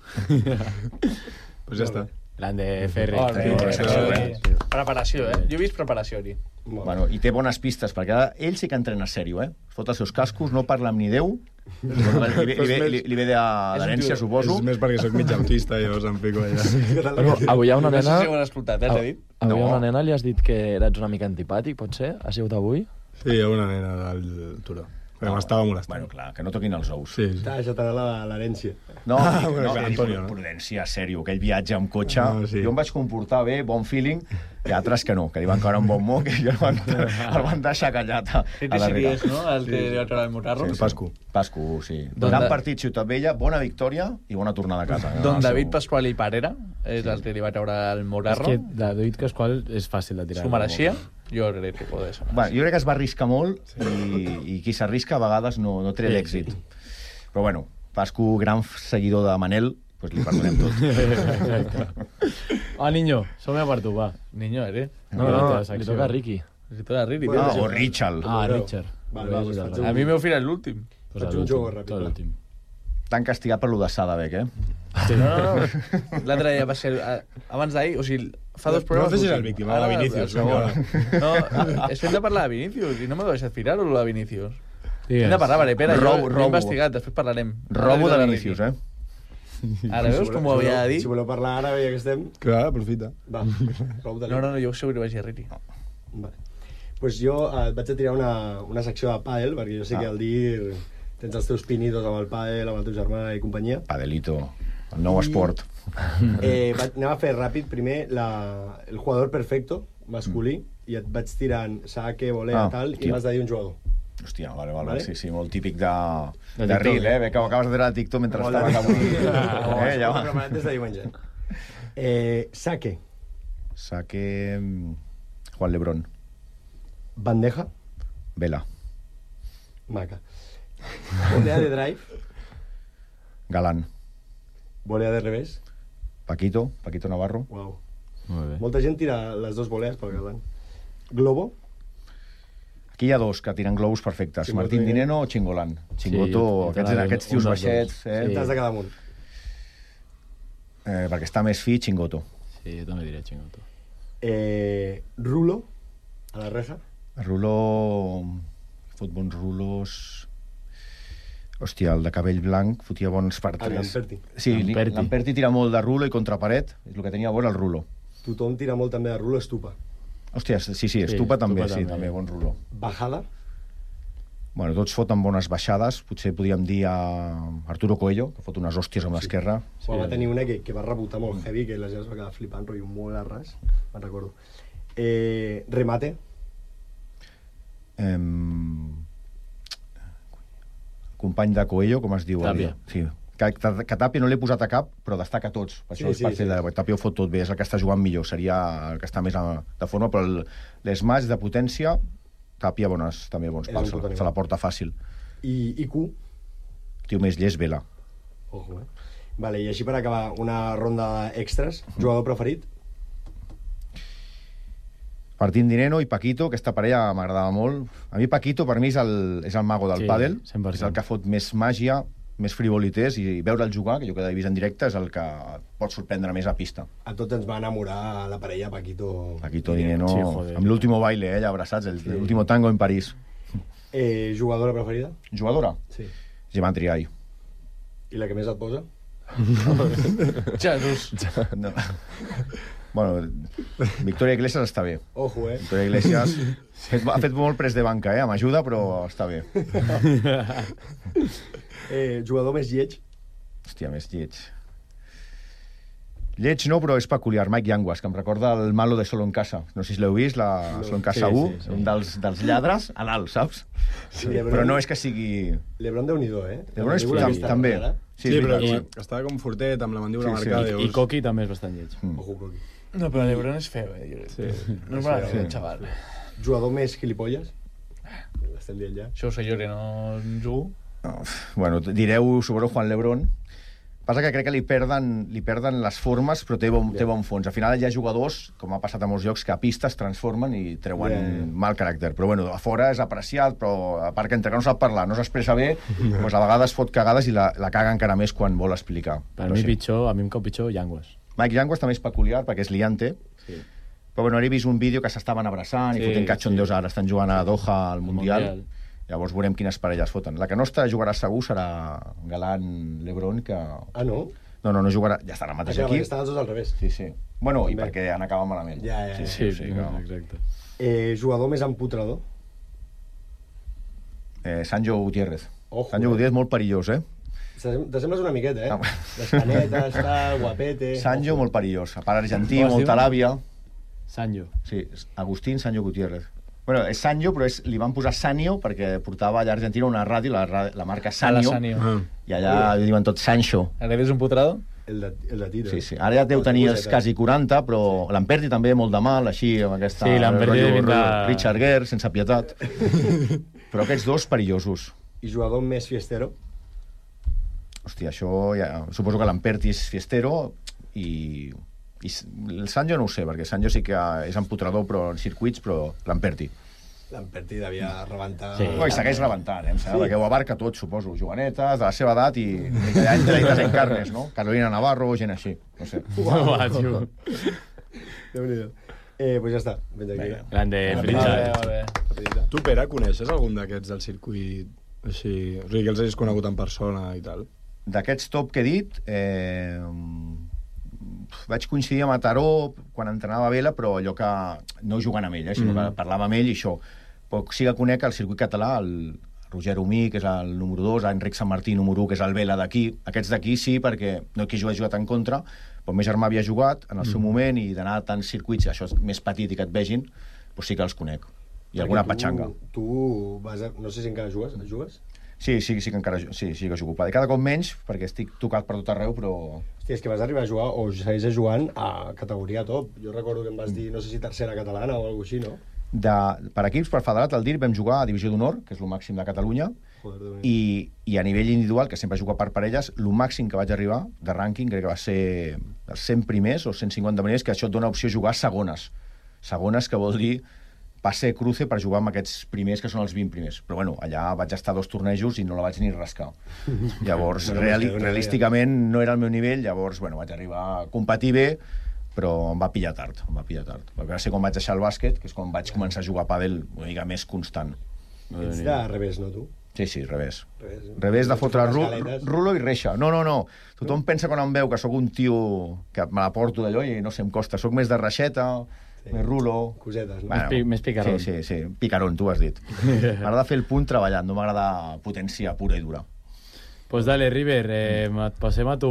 Pues ja està. Grande, Ferri. Oh, Sí, no, sí, no, sí, no, sí. Preparació, eh? Jo he vist preparació aquí. Molt Bueno, i té bones pistes, perquè ara ell sí que entrena sèrio, eh? Es fot els seus cascos, no parla amb ni Déu, li ve, li ve, li, li ve de- d'herència, suposo. És més perquè sóc mig autista i llavors em fico allà. Bueno, avui hi ha una No sé nena... si ho han escoltat, eh, t'he dit? Avui hi ha No. una nena, li has dit que eres una mica antipàtic, pot ser? Ha sigut avui? Sí, hi ha una nena del Turó. Però m'estava molestant. Bueno, clar, que no toquin els ous. Sí, sí. T'ha deixat anar la- l'herència. No, Ah, dic, bueno, no, clar, dic, Antonio, no? prudència, sèrio, aquell viatge amb cotxe, No, sí. jo em vaig comportar bé, bon feeling, i altres que no, que li van caure un bon moc i el van, el van deixar callat a, Sí, a sí, darrere. és, no? El que li va treure el motarro. El Pascu. Pascu, sí. Don Gran Da- partit, Ciutat Vella, bona victòria i bona tornada a casa. Don El seu- David Pasqual i Parera és el que li va treure el És motarro. que David Pasqual és fàcil de tirar. S'ho mereixia? Jo crec que pot ser. Bueno, jo crec que es va arriscar molt i, i qui s'arrisca a vegades no, no té Sí, l'èxit. sí. Però bueno, Pascu, gran seguidor de Manel, pues li perdonem tot. Ah, niño, som-hi per tu, va. Niño, eres. No, la no, teva li secció. toca a Ricky. Si tu eres Riri, Bueno, Ah, tio. o Richard. Ah, Veureu. Richard. Val, val, doncs faig un- A mi m'heu firat l'últim. Pues faig a un joc l'últim, ràpid, tot va. l'últim. Tan castigat per lo de Sadabek, eh? Sí, no, no, no. L'altre dia va ser... eh, Abans d'ahir, o sigui, fa dos No programes... facis el l'últim. víctima, va, Ara, Vinícius, el segon. vinga, No, és que hem de parlar de Vinícius i no m'heu deixat firar-ho, lo de Vinícius. Digues. Hem de parlar, vale, Pere, Robo- jo l'he robo. investigat, després parlarem. Robo de Ara Vinícius, eh? Ara veus com ho havia de dir? Si voleu parlar ara, ja que estem... Clar, aprofita. Va, prou de No, no, no, jo segur que vaig dir Riri. Vale. Pues jo eh, et vaig a tirar una, una secció de pàdel, perquè jo sé Ah. que al dir tens els teus pinitos amb el pàdel, amb el teu germà i companyia. Padelito, el nou esport. Eh, vaig, anem a fer ràpid primer la, el jugador perfecto, masculí, i et vaig tirant saque, volea, Ah, tal, i hòstia. m'has de dir un jugador. Hòstia, vale, vale, Vale? sí, sí, molt típic de, De de TikTok, reel, eh? Ve que ho acabes de treure a TikTok mentre Molt estaves de- avui. Oh, eh, ja ho he va. preparat des de diumenge. Eh, saque, Saque... mm, Juan Lebrón. bandeja, Vela. maca. Volea de drive, Galán. volea de revés, Paquito, Paquito Navarro. uau. Molt bé. Molta gent tira les dues volees pel galant. Globo, Aquí hi ha dos que tiren globus perfectes. Chingoto Martín i- Dineno o Chingolan. Chingoto, jo- jo aquests, t'anava aquests dient tios un dels baixets, dos. eh? Sí. t'has de quedar amunt. eh? Perquè està més fi, Chingoto. Sí, jo també diré xingoto. Eh, rulo, a la reja. Rulo... Fot bons rulos... Hòstia, el de cabell blanc fotia bons per El tres. Lamperti. Sí, li- Lamperti. Lamperti tira molt de rulo i contra paret. És el que tenia a veure el rulo. Tothom tira molt també de rulo, estupa. Hòstia, sí, sí, Sí, Estupa també, Estupa sí, també. també, bon rulo. Bajada, Bueno, tots foten bones baixades. Potser podríem dir a Arturo Coello, que fot unes hòsties amb l'esquerra. sí. Va tenir una que, que va rebotar molt heavy, que la gent es va quedar flipant, rotllo molt a ras, me'n recordo. Eh, remate, Em... Company de Coello, com es diu? Tàpia. Sí, Que, que Tapia no l'he posat a cap, però destaca tots. Per això Sí, és sí, per fer sí. de Tapia ho fot tot bé, és el que està jugant millor, seria el que està més a, de forma, però el- les matchs de potència, Tapia bones, també bons És pals, un puto se, animal. se la porta fàcil. I, I Q? Tio més llest, Vela. Ojo, eh? Vale, i així per acabar, una ronda extras. Jugador preferit? Martín Dineno i Paquito, aquesta parella m'agradava molt. A mi Paquito, per mi, és el, és el mago del Sí, pàdel. cent per cent. És el que fot més màgia, més frivolités, i veure'l jugar, que jo que l'he vist en directe, és el que pot sorprendre més a pista. A tots ens va enamorar la parella Paquito... Paquito Dineno, Sí, joder. amb l'último baile, eh, allà abraçats, el- Sí. l'último tango en París. Eh, jugadora preferida? Jugadora? Sí. Gemma Triay. I la que més et posa? Jesús. No. Bueno, Victoria Iglesias està bé. Ojo, eh? Victoria Iglesias ha fet molt pres de banca, eh? M'ajuda, però està bé. eh jugador més lleig? Hòstia, més lleig. Lleig no, però és peculiar. Mike Yanguas, que em recorda el malo de Solo en Casa. No sé si l'heu vist, la Solo en Casa Sí, u, sí, sí. un dels, dels lladres a l'alt, saps? Sí, Lebron- Però no és que sigui... L'Ebron Déu-n'hi-do, eh? Lebron és La pel·lícula tam- aquesta també. rara. Sí, Sí, és però veritat. com, estava com fortet, amb la mandíbula Sí, sí. marcada. I, I Coqui també és bastant lleig. Mm. Ojo, Coqui. No, però l'Ebron és feo, eh? Jo crec. Sí. No és bona Sí. sí. xaval. Jugador més gilipolles? L'estem dient ja. Això ho sé jo, que no jugo. No, bueno, direu, suposo, Juan Lebrón. Passa que crec que li perden, li perden les formes, però té bon, té bon fons. Al final hi ha jugadors, com ha passat a molts llocs, que a pista es transformen i treuen Yeah. mal caràcter. Però bueno, a fora és apreciat, però a part que entre que no sap parlar, no s'expressa bé, doncs a vegades fot cagades i la, la caga encara més quan vol explicar. Per Però mi sí. pitjor, a mi em cau pitjor Yanguas. Mike Yanguas també és peculiar perquè és liante, Sí. però bueno, he vist un vídeo que s'estaven abraçant i Sí, fotent catxondeus, sí. ara estan jugant a Doha al Mundial. Mundial. Llavors veurem quines parelles foten. La que no està jugarà segur serà Galán Lebron, que... Ah, no? No, no, no jugarà, ja estan al mateix Ah, equip. estan els dos al revés. Sí, sí. Bueno, i També. perquè han acabat malament. Ja, ja, ja. Sí, sí, sí, no. exacte. Eh, jugador més empotrador? Eh, Sancho Gutiérrez. Ojo, Sancho eh? Gutiérrez molt perillós, eh? T'assem- T'assembles una miqueta, eh? Ah. Les canetes, tal, guapete... Sancho Ojo. molt perillós. A part argentí, Com es molta diu? làbia. Sancho. Sí, és Agustín Sancho Gutiérrez. Bueno, és Sancho, però és, li van posar Sanio perquè portava allà a Argentina una ràdio, la, ra- la marca Sanio, Sanio. Ah. i allà li diuen tot Sancho. Ara eres un putrado? El de, el de Tito. Sí, sí. Ara ja deu tenir els quasi quaranta, però l'Amperti també molt de mal, així, amb aquesta... Sí, l'Amperti rotllo- de pinta- rotllo Richard Gere, sense pietat. Però aquests dos perillosos. I jugador més fiestero? Hòstia, això ja... Suposo que l'Amperti és fiestero i... i s- el Sancho no ho sé, perquè Sancho sí que és empotrador però en circuits, però l'Amperti. L'Amperti devia rebentar... Sí. Oh, I segueix rebentant, eh? Em sembla, perquè ho abarca tot, suposo. Jovenetes, de la seva edat i... i que ja entra i desencarnes, no? Carolina Navarro, gent així. No sé. Uau, tio. Déu-n'hi-do. Eh, pues ja està. Vens aquí. Vinga. Grande, Molt Richard. bé, molt bé. Rapidita. Tu, Pere, coneixes algun d'aquests del circuit així? O sigui, que els hagis conegut en persona i tal? D'aquests top que he dit, eh, vaig coincidir a Mataró quan entrenava a Vela, però allò que no jugant amb ell, eh, sinó Mm. que parlava amb ell i això. Però sí que conec el circuit català, el Roger Humí, que és el número dos, Enric Sant Martí, número u, que és el Vela d'aquí. Aquests d'aquí sí, perquè no que jo he jugat en contra, però el meu germà havia jugat en el seu moment i d'anar a tants circuits, això és més petit i que et vegin, doncs sí que els conec. I alguna Perquè tu- patxanga. Tu vas a... No sé si encara jugues. Jugues? Sí, sí, sí que encara ju- sí, sí que jugo. Cada cop menys, perquè estic tocat per tot arreu, però... Hòstia, és que vas arribar a jugar, o segueixes jugant a categoria top. Jo recordo que em vas dir, no sé si tercera catalana o alguna així, no? De, per equips, per federat, al D I R vam jugar a Divisió d'Honor, que és el màxim de Catalunya, Joder, Déu-n'hi-do. i, i a nivell individual, que sempre he jugat per parelles, el màxim que vaig arribar de rànquing crec que va ser els cent primers o cent cinquanta primers, que això et dona opció a jugar a segones. Segones, que vol dir passe cruce per jugar amb aquests primers, que són els vint primers. Però bueno, allà vaig estar a dos tornejos i no la vaig ni rascar. Llavors, Bueno, reali pues, realísticament no era el meu nivell, llavors, bueno, vaig arribar a competir bé, però em va pillar tard, em va pillar tard. Va ser quan vaig deixar el bàsquet, que és quan vaig començar a jugar a pàdel una mica més constant. Ets de revés, no, tu? Sí, sí, revés. Revés, eh? Revés de fotre ru Escaletes. rulo i reixa. No, no, no. Tothom pensa quan em veu que sóc un tio que me la porto d'allò i no sé, em costa. Sóc més de reixeta, Sí. més rulo... Cosetes, no? Més pi- més picarón. Sí, sí, sí. Picarón, tu has dit. M'agrada fer el punt treballant, no m'agrada potència pura i dura. Pues dale, River, eh, et passem a tu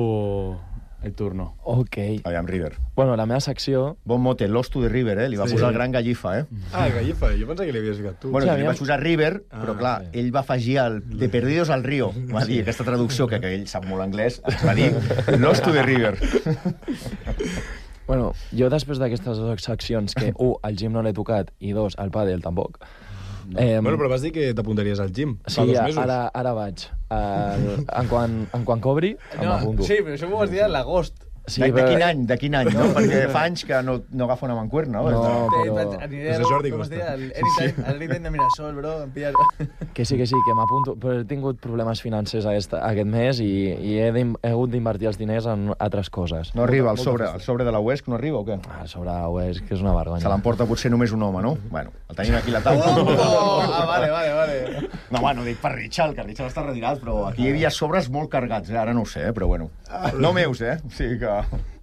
el turno. Ok. Aviam, River. Bueno, la meva secció... Bon mote, Lost to the River, eh? Li va Sí. posar el gran Gallifa, eh? Ah, el Gallifa, jo pensava que li havies ficat tu. Bueno, Sí, li aviam. vaig posar River, però Ah, clar, sí. ell va afegir el de Perdidos al Río. Va dir aquesta traducció, que, que ell sap molt anglès, ens va dir Lost to the River. Bueno, jo després d'aquestes dues seccions, que, un, el gym no l'he tocat, i dos, el pàdel tampoc. Eh, Bueno, però vas dir que t'apuntaries al gym fa sí, dos mesos. ara, ara vaig. El, en, quan, en quan cobri, No, m'apunto. sí, però això m'ho vas dir a l'agost. Sí, de, de però- quin any, de quin any, no? Perquè fa anys que no, no agafa una mancuerna, no? No, Eh, però... vaig- Aniré És de Jordi com es Costa. deia, el Anytime, el Anytime de Mirasol, bro, em pilles... Que sí, que sí, que m'apunto, però he tingut problemes financers aquest, aquest mes i, i he, d'in- he hagut d'invertir els diners en altres coses. No arriba el sobre, el sobre de la U E S C, no arriba o què? Ah, sobre ho és que és una vergonya. Se l'emporta potser només un home, no? Bueno, el tenim aquí a la taula. Oh! Ah, vale, vale, vale. No, bueno, dic per Richard, que Richard està retirat, però aquí hi havia sobres molt cargats, eh? Ara no ho sé, eh? Però bueno. No meus, eh? O sigui que...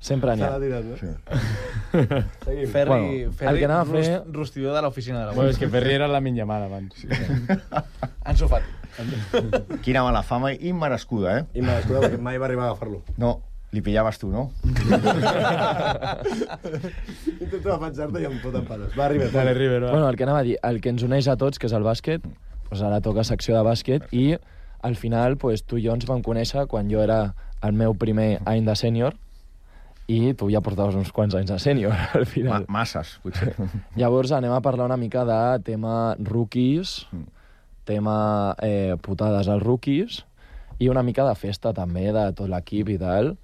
Sempre n'hi Se ha. l'ha tirat, no? Sí. Ferri, Bueno, Ferri el que anava a fer- rust, rostidor de l'oficina de la Bueno, U E és que Ferri era la Minyamal abans. Sí. Ansu Fati. Quina mala fama immerescuda, eh? I m'escolta, perquè mai va arribar a agafar-lo. No, li pillaves tu, no? Intento defensar-te i em foten palos. Va, River. Dale, River, va. Bueno, el que anava a dir, el que ens uneix a tots, que és el bàsquet, doncs ara toca secció de bàsquet, i al final pues, tu i jo ens vam conèixer quan jo era el meu primer any de sènior, i tu ja portaves uns quants anys de sènior, al Ma final. masses, potser. Llavors anem a parlar una mica de tema rookies, tema eh, putades als rookies, i una mica de festa també, de tot l'equip i tal.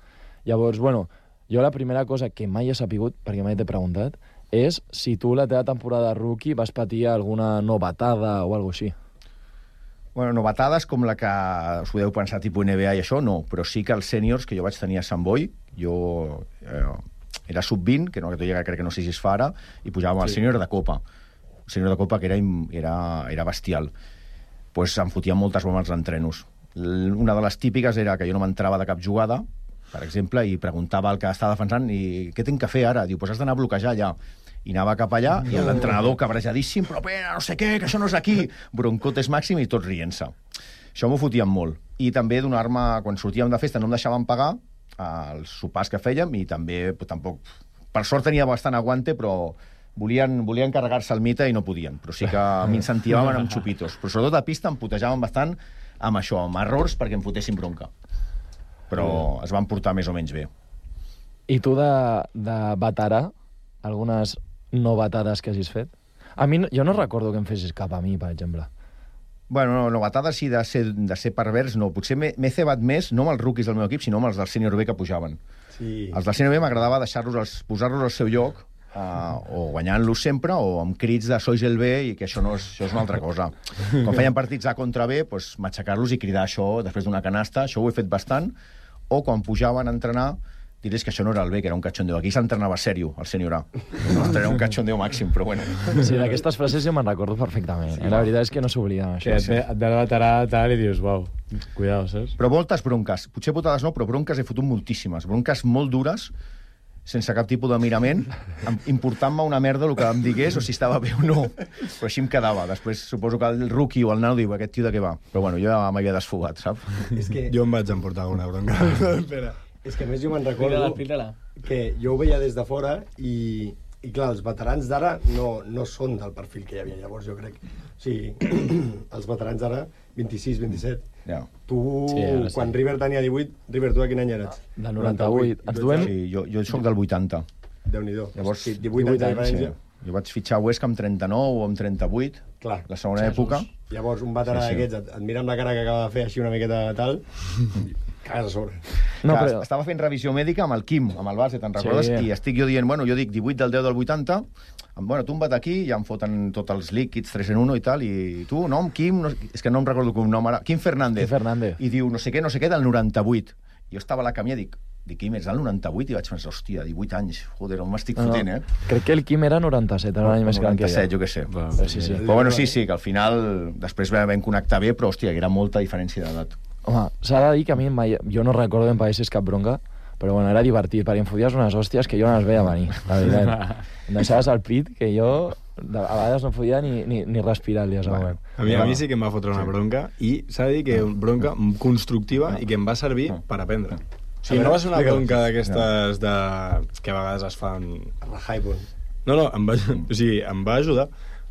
Llavors, bueno, jo la primera cosa que mai he sapigut, perquè mai t'he preguntat, és si tu la teva temporada de rookie vas patir alguna novetada o alguna així. Bueno, novetades com la que us podeu pensar tipus N B A i això, no, però sí que els sèniors que jo vaig tenir a Sant Boi, jo eh, era sub vint, que no que ja crec que no sé si es fa ara, i pujàvem al Sí. sènior de Copa. El sènior de Copa que era, im- era, era bestial. Pues em fotien moltes bromes als entrenos. L- Una de les típiques era que jo no m'entrava de cap jugada, per exemple, i preguntava al que estava defensant i què tinc que fer ara? Diu, pues has d'anar a bloquejar allà. I anava cap allà, i l'entrenador cabrejadíssim, però pena, no sé què, que això no és aquí. Broncotes màxim i tots rient-se. Això m'ho fotien molt. I també donar-me, quan sortíem de festa, no em deixaven pagar els sopars que fèiem, i també, pues, tampoc... Per sort tenia bastant aguante, però volien, volien carregar-se el mite i no podien. Però sí que m'incentivaven amb xupitos. Però sobretot a pista em putejaven bastant amb això, amb errors perquè em fotessin bronca. Però es van portar més o menys bé. I tu de, de veterà, algunes novetades que hagis fet? A mi, no- jo no recordo que em fessis cap a mi, per exemple. Bueno, no, novetada sí de ser, de ser pervers, no. Potser m'he m'he cebat més, no amb els rookies del meu equip, sinó amb els del sènior B que pujaven. Sí. Els del sènior B m'agradava deixar-los, als- posar-los al seu lloc, uh, o guanyant-los sempre, o amb crits de sois el B, i que això, no és, això és una altra cosa. Quan feien partits A contra B, doncs, matxacar-los i cridar això després d'una canasta, això ho he fet bastant, o quan pujaven a entrenar, dirés que això no era el B, que era un cachondeo. Aquí s'entrenava sèrio, el sènior A. No, era un cachondeo màxim, però bueno. Sí, d'aquestes frases jo me'n recordo perfectament. Sí, la veritat és que no s'obliden, Que això. et ve, et ve el veterà tal i dius, uau, cuidado, saps? Però moltes bronques. Potser putades no, però bronques he fotut moltíssimes. Bronques molt dures, sense cap tipus de mirament, em- important-me una merda el que em digués o si estava bé o no. Però així em quedava. Després suposo que el rookie o el nano diu, aquest tio de què va? Però bueno, jo ja m'havia desfogat, saps? És que, Jo em vaig emportar una bronca. Espera. és que a més jo me'n Explica-la, recordo explica-la. que jo ho veia des de fora i, i clar, els veterans d'ara no, no són del perfil que hi havia llavors, jo crec. O sigui, els veterans d'ara, vint-i-sis, vint-i-set. Ja. Tu, Sí, ara sí. quan River tenia divuit, River, tu de quin any eres? Del noranta-vuit. Ens I tu duem- ets- Sí, jo, jo soc del vuitanta. Déu-n'hi-do. Llavors, sí, divuit anys de diferència. Jo vaig fitxar a Huesca amb trenta-nou o amb trenta-vuit, Clar. la segona època. Llavors, un veterà Sí, sí. d'aquests et, et mira amb la cara que acaba de fer així una miqueta tal, cagues a sobre. No, que però... estava fent revisió mèdica amb el Quim, amb el base, te'n recordes? Sí. I estic jo dient, bueno, jo dic divuit del deu del vuitanta, bueno, tu em vas aquí, ja em foten tots els líquids tres en uno i tal, i tu, nom, Quim, no, és que no em recordo com nom ara, Quim Fernández. Quim Fernández. I diu, no sé què, no sé què, del noranta-vuit. Jo estava a la camia i dic, dic, Quim, ets del noranta-vuit? I vaig pensar, hòstia, divuit anys, joder, on m'estic No, no. fotent, eh? Crec que el Quim era noranta-set, era un any més gran que noranta-set, jo. jo què sé. Però sí, sí. Però bueno, sí, sí, que al final després vam connectar bé, però, hòstia, que era molta diferència d'edat. Home, s'ha de dir que a mi mai... jo no recordo que em paguessis cap bronca, però bueno, era divertit, perquè em foties unes hòsties que jo no les veia venir, la veritat. Em deixaves al pit que jo de- a vegades no podia ni, ni, ni respirar el dia següent. A mi, a mi sí que em va fotre una bronca i s'ha de dir que una bronca constructiva i que em va servir per aprendre. Sí, no va ser una bronca d'aquestes de... que a vegades es fan... Rehypon. No, no, em va, o sigui, em va ajudar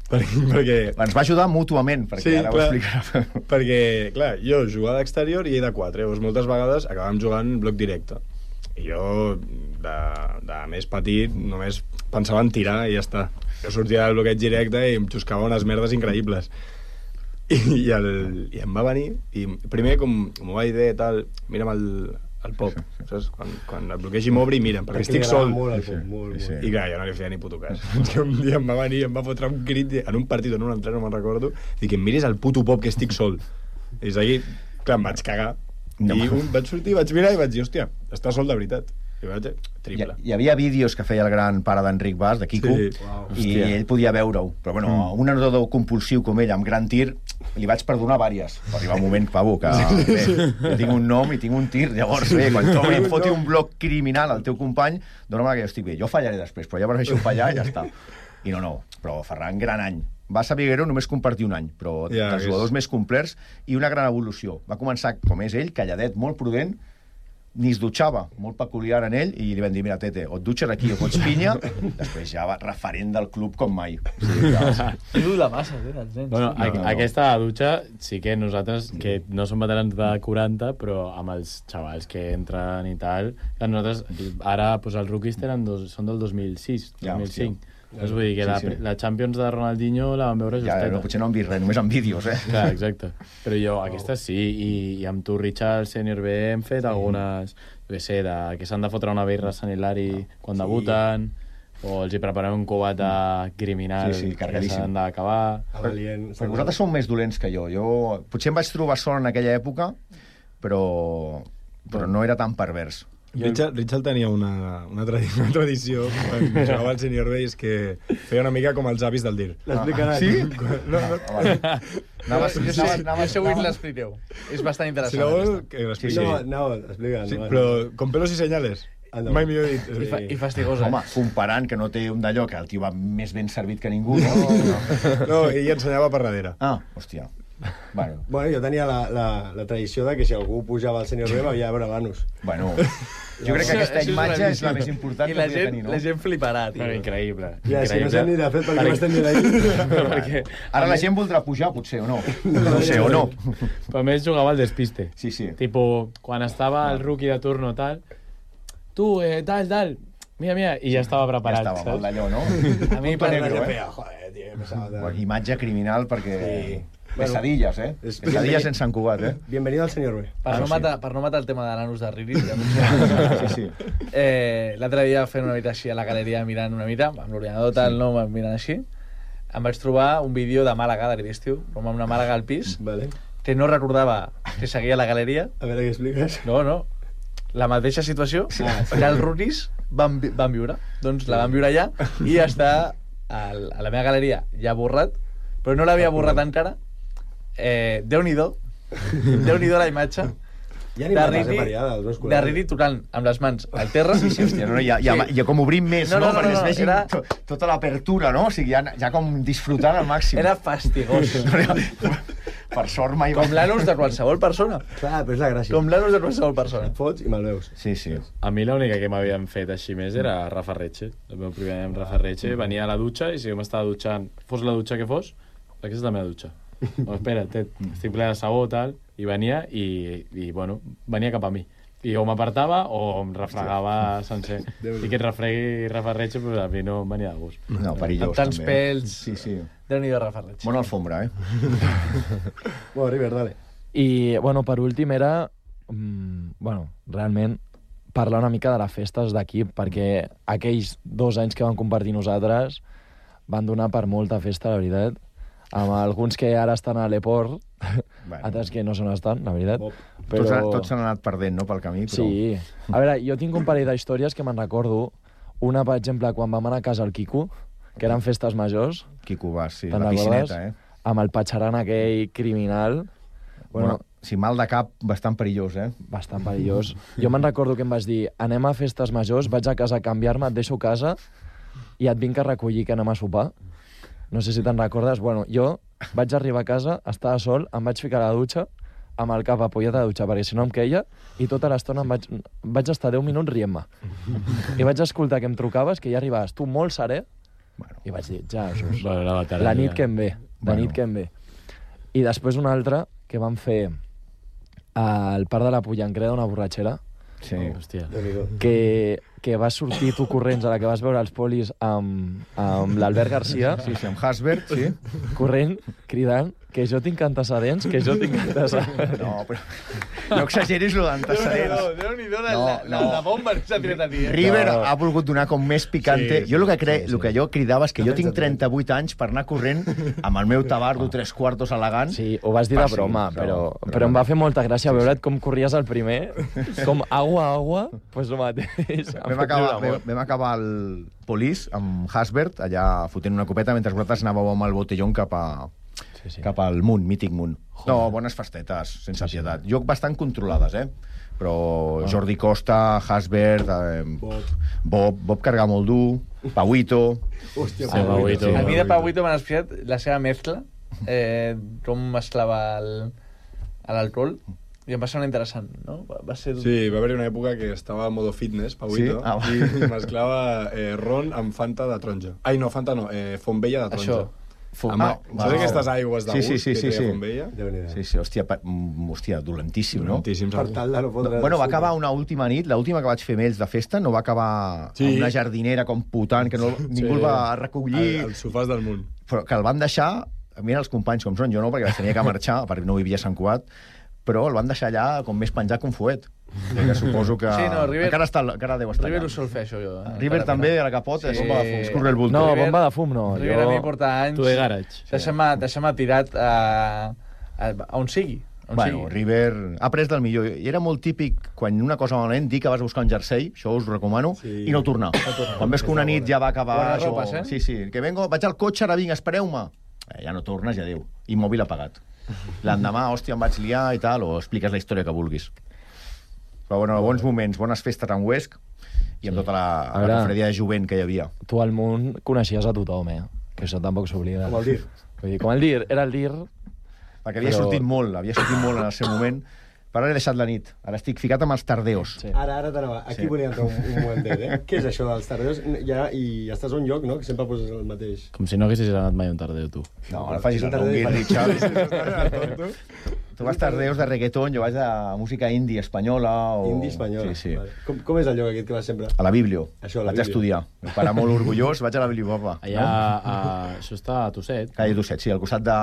perquè... perquè... Ens va ajudar mútuament, perquè sí, ara clar, ho explicarà. Perquè, clar, jo jugava d'exterior i ell de quatre, llavors moltes vegades acabàvem jugant bloc directe. I jo, de, de més petit, només pensava en tirar i ja està. Jo sortia del bloqueig directe i em xuscava unes merdes increïbles. I, i, el, i em va venir, i primer, com, com ho vaig dir, tal, mira'm el, el pop, saps? Quan, quan el bloquegi m'obri, mira'm, perquè estic sol. Molt, el pop, molt, sí, molt. I clar, jo no li feia ni puto cas. Que un dia em va venir i em va fotre un crit en un partit o en un altre, no me'n recordo, i que em miris el puto pop que estic sol. I és aquí, clar, em vaig cagar. No. I un, vaig sortir, vaig mirar i vaig dir, hòstia, està sol de veritat. I vaig dir, triple. Hi, hi havia vídeos que feia el gran pare d'Enric Bas, de Quico, sí. Wow. I hòstia. Ell podia veure-ho. Però bueno, mm. un nedador compulsiu com ell, amb gran tir, li vaig perdonar vàries. Va arribar un moment, pavo, que bé, jo tinc un nom i tinc un tir, llavors bé, quan tu em foti un bloc criminal al teu company, dona-me que jo estic bé. Jo fallaré després, però ja prefereixo fallar i ja està. I no, no, però Ferran, gran any. Va saber greu només compartir un any, però ja, dels jugadors és... més complets i una gran evolució. Va començar, com és ell, calladet, molt prudent, ni es dutxava, molt peculiar en ell, i li van dir, mira, Tete, o et dutxes aquí o fots pinya, després ja va referent del club com mai. Sí, diu la massa, eh, els nens. Bueno, no, no, no. Aquesta dutxa sí que nosaltres, sí. que no som veterans de quaranta, però amb els xavals que entren i tal, que nosaltres, ara, pues, els rookies tenen dos, són del dos mil sis, dos mil cinc. Ja, és vull dir que sí, la, sí. la Champions de Ronaldinho la vam veure justeta. Ja, no, potser no han vist res, només en vídeos, eh? Clar, exacte. Però jo, oh. aquesta sí, i, i amb tu, Richard, Senior B, hem fet sí. algunes, jo sé, de, que s'han de fotre una birra a Sant Hilari quan sí. debuten, o els hi preparem un cubata criminal sí, sí, que s'han d'acabar. Però, però vosaltres sou més dolents que jo. Jo potser em vaig trobar sol en aquella època, però, però no era tan pervers. Richard, Richard tenia una, una, tradi una tradició quan jugava al Senior B, és que feia una mica com els avis del dir. L'explicarà. Ah, sí? No, no. Anaves, jo sé, jo sé avui l'expliqueu. És bastant interessant. Si no vol, que l'expliqui. No, no, explica. Sí, però con pelos i senyales. Ah, no. Mai millor dit. I, fa, i fastigosa. Home, comparant que no té un d'allò, que el tio va més ben servit que ningú, no? No, no ell ensenyava per darrere. Ah, hòstia. Bueno. bueno, jo tenia la, la, la tradició de que si algú pujava al Senior B m'havia de veure l'anus. Bueno, jo crec que aquesta imatge és la més important que podria tenir, no? I la gent fliparà, tio. Però increïble. Ja, si no sé ni de fet per què m'estem dient ahí. Ara la gent voldrà pujar, potser, o no? No sé, o no. Però a més jugava al despiste. Sí, sí. Tipo, quan estava el rookie de turno, tal, tu, eh, tal, tal, mira, mira, i ja estava preparat. Ja estava, mal d'allò, no? A mi per negre, eh? Joder, tio, pesada. Imatge criminal perquè... Sí. Pesadillas, eh? Es Pesadillas en Sant Cugat, eh? Bienvenido al Senior B. Per, ah, no, sí. matar, per no matar el tema de l'anus de Riri, sí, sí. Eh, l'altre dia fent una mica així a la galeria mirant una mica, amb l'ordinador tal, sí. no, mirant així, em vaig trobar un vídeo de Màlaga, de l'estiu, com amb una Màlaga al pis, vale. que no recordava que seguia a la galeria. A veure què expliques. No, no. La mateixa situació ah, sí. que els rookies van, van viure. Doncs la van viure allà i està al, a la meva galeria ja borrat, però no l'havia borrat encara. Eh, Déu-n'hi-do Déu-n'hi-do la imatge ja de Riri, de Riri tocant amb les mans al terra. Sí, sí, hòstia, no, ja, ja, ja com obrim més, no? no, no, no perquè no, no, es vegi era... to, tota l'apertura, no? O sigui, ja, ja com disfrutant al màxim. Era fastigós. Per sort mai... Com l'anus de qualsevol persona. Clar, però és la gràcia. Com l'anus de qualsevol persona. Et fots i me'l veus. Sí, sí. A mi l'única que m'havien fet així més era Rafa Retxe. El meu primer any amb Rafa Retxe. Venia a la dutxa i si jo m'estava dutxant, fos la dutxa que fos, aquesta és la meva dutxa. No, espera, te, estic ple de sabó, tal, i venia, i, i bueno, venia cap a mi. I o m'apartava o em refregava sencer. I que et refregui Rafa Retxe, però a mi no em venia de gust. No, perillós, amb tants també. pèls. Sí, sí. Déu-n'hi-do Rafa Retxe. Bona alfombra, eh? Bueno, River, dale. I, bueno, per últim era, mm, bueno, realment, parlar una mica de les festes d'equip, perquè aquells dos anys que vam compartir nosaltres van donar per molta festa, la veritat. Amb alguns que ara estan a l'Eport, bueno. altres que no se n'estan, la veritat. Però... Tots, tots s'han anat perdent, no?, pel camí. Però... Sí. A veure, jo tinc un parell d'històries que me'n recordo. Una, per exemple, quan vam anar a casa al Quico, que eren festes majors. Quico Bas, sí, la piscineta, eh? Amb el patxaran aquell criminal. Bueno, bueno, si mal de cap, bastant perillós, eh? Bastant perillós. Jo me'n recordo que em vas dir, anem a festes majors, vaig a casa a canviar-me, et deixo a casa i et vinc a recollir que anem a sopar. No sé si te'n recordes. Bueno, jo vaig arribar a casa, estava sol, em vaig ficar a la dutxa, amb el cap apoyat a la dutxa, perquè si no em queia, i tota l'estona em vaig, vaig estar deu minuts rient-me. I vaig escoltar que em trucaves, que ja arribaves tu molt serè, bueno. I vaig dir, ja, Jesús, bueno, la, la nit que em ve, la bueno. nit que em ve. I després una altra, que vam fer al Parc de la Pollancreda, una borratxera, sí. Oh, hòstia. Que, que vas sortir tu corrents a la que vas veure els polis amb, amb l'Albert Garcia. Sí, sí, amb Hasbert, sí. Corrent, cridant, que jo tinc antecedents, que jo tinc antecedents. No, però no exageris lo d'antecedents. Déu-n'hi-do, la, la, la, la bomba s'ha tirat a ti. Eh? River no. ha volgut donar com més picante. Sí, jo el que, cre... sí, sí. el que jo cridava és que jo tinc trenta-vuit anys per anar corrent amb el meu tabardo tres quartos elegant. Sí, ho vas dir de broma, sí, però, però, però em va fer molta gràcia sí, veure't com corries al primer, com agua, agua, pues lo mateix. Vam acabar, vam, vam acabar el Polis amb Hasbert, allà fotent una copeta, mentre vosaltres anàveu amb el botellón cap a... Sí, sí. cap al Munt, mític Munt. Joder. No, bones festetes, sense sí, pietat. Sí. Jo bastant controlades, eh? Però ah. Jordi Costa, Hasbert, eh, Bob. Bob, Bob carregar molt dur, Pauito... Hòstia, sí, Pauito. A mi de Pauito m'han espiat la seva mescla, eh, com mesclava l'alcohol, i em va ser interessant, no? Va ser... Sí, va haver una època que estava en modo fitness, Pauito, sí? ah, i mesclava eh, ron amb Fanta de taronja. Ai, no, Fanta no, eh, Fonbella de taronja. Això. Amb, ah, saps aquestes aigües d'agut sí, sí, sí, que sí, té sí. Fonbella? Sí, sí, hòstia, pa, hòstia dolentíssim, no? Dolentíssim, per tal de no fotre... Bueno, va acabar una última nit, l'última que vaig fer amb ells de festa, no va acabar sí. amb una jardinera com putant, que no, ningú sí. el va recollir... El, el sofàs del Munt. Però que el van deixar, mira els companys com són, jo no, perquè tenia que marxar, perquè no vivia a Sant Cugat, però el van deixar allà com més penjat que un fuet. Que suposo que... Sí, no, River... Encara, està, encara deu estar River allà. ho sol fer, això, jo. Eh? River encara també, a la capota, sí. és bomba de fum. Escurre el bulto. No, River, bomba de fum no. River jo... a mi porta anys... Tu de garage. Deixa'm-me deixa'm tirat a, a, a on sigui. On bueno, sigui. River ha pres del millor. I era molt típic, quan una cosa malament, dir que vas buscar un jersei, això us ho recomano, sí. i no tornar. No tornar. Quan ves que una nit ja va acabar... Això... Ropes, eh? Sí, sí, que vengo, vaig al cotxe, ara vinc, espereu-me. Eh, ja no tornes, ja adéu. Immòbil apagat. L'endemà, hòstia, em vaig liar i tal, o expliques la història que vulguis. Però bueno, bons moments, bones festes en Huesc i amb sí. tota la, la confraria de jovent que hi havia. Tu al Munt coneixies a tothom, eh? Que això tampoc s'oblida. Com el dir. Vull dir, com el dir, era el dir... Perquè havia però... sortit molt, havia sortit molt en el seu moment. Però he deixat la nit. Ara estic ficat amb els tardeos. Sí. Ara, ara t'anava. Aquí sí. volia entrar un, un momentet, eh? Què és això dels tardeos? Ja, I estàs a un lloc, no?, que sempre poses el mateix. Com si no haguessis anat mai a un tardeo, tu. No, ara facis el ronguit, Richard. Tu vas tardeos de reggaeton, jo vaig de música indie espanyola o... Indie espanyola. Sí, sí. Vale. Com, com és el lloc aquest que vas sempre? A la Biblio. Això, a la vaig Biblio. estudiar. El pare molt orgullós, vaig a la Bibliopapa. Allà, no? a... això està a Tosset. Calle Tosset, sí, al costat de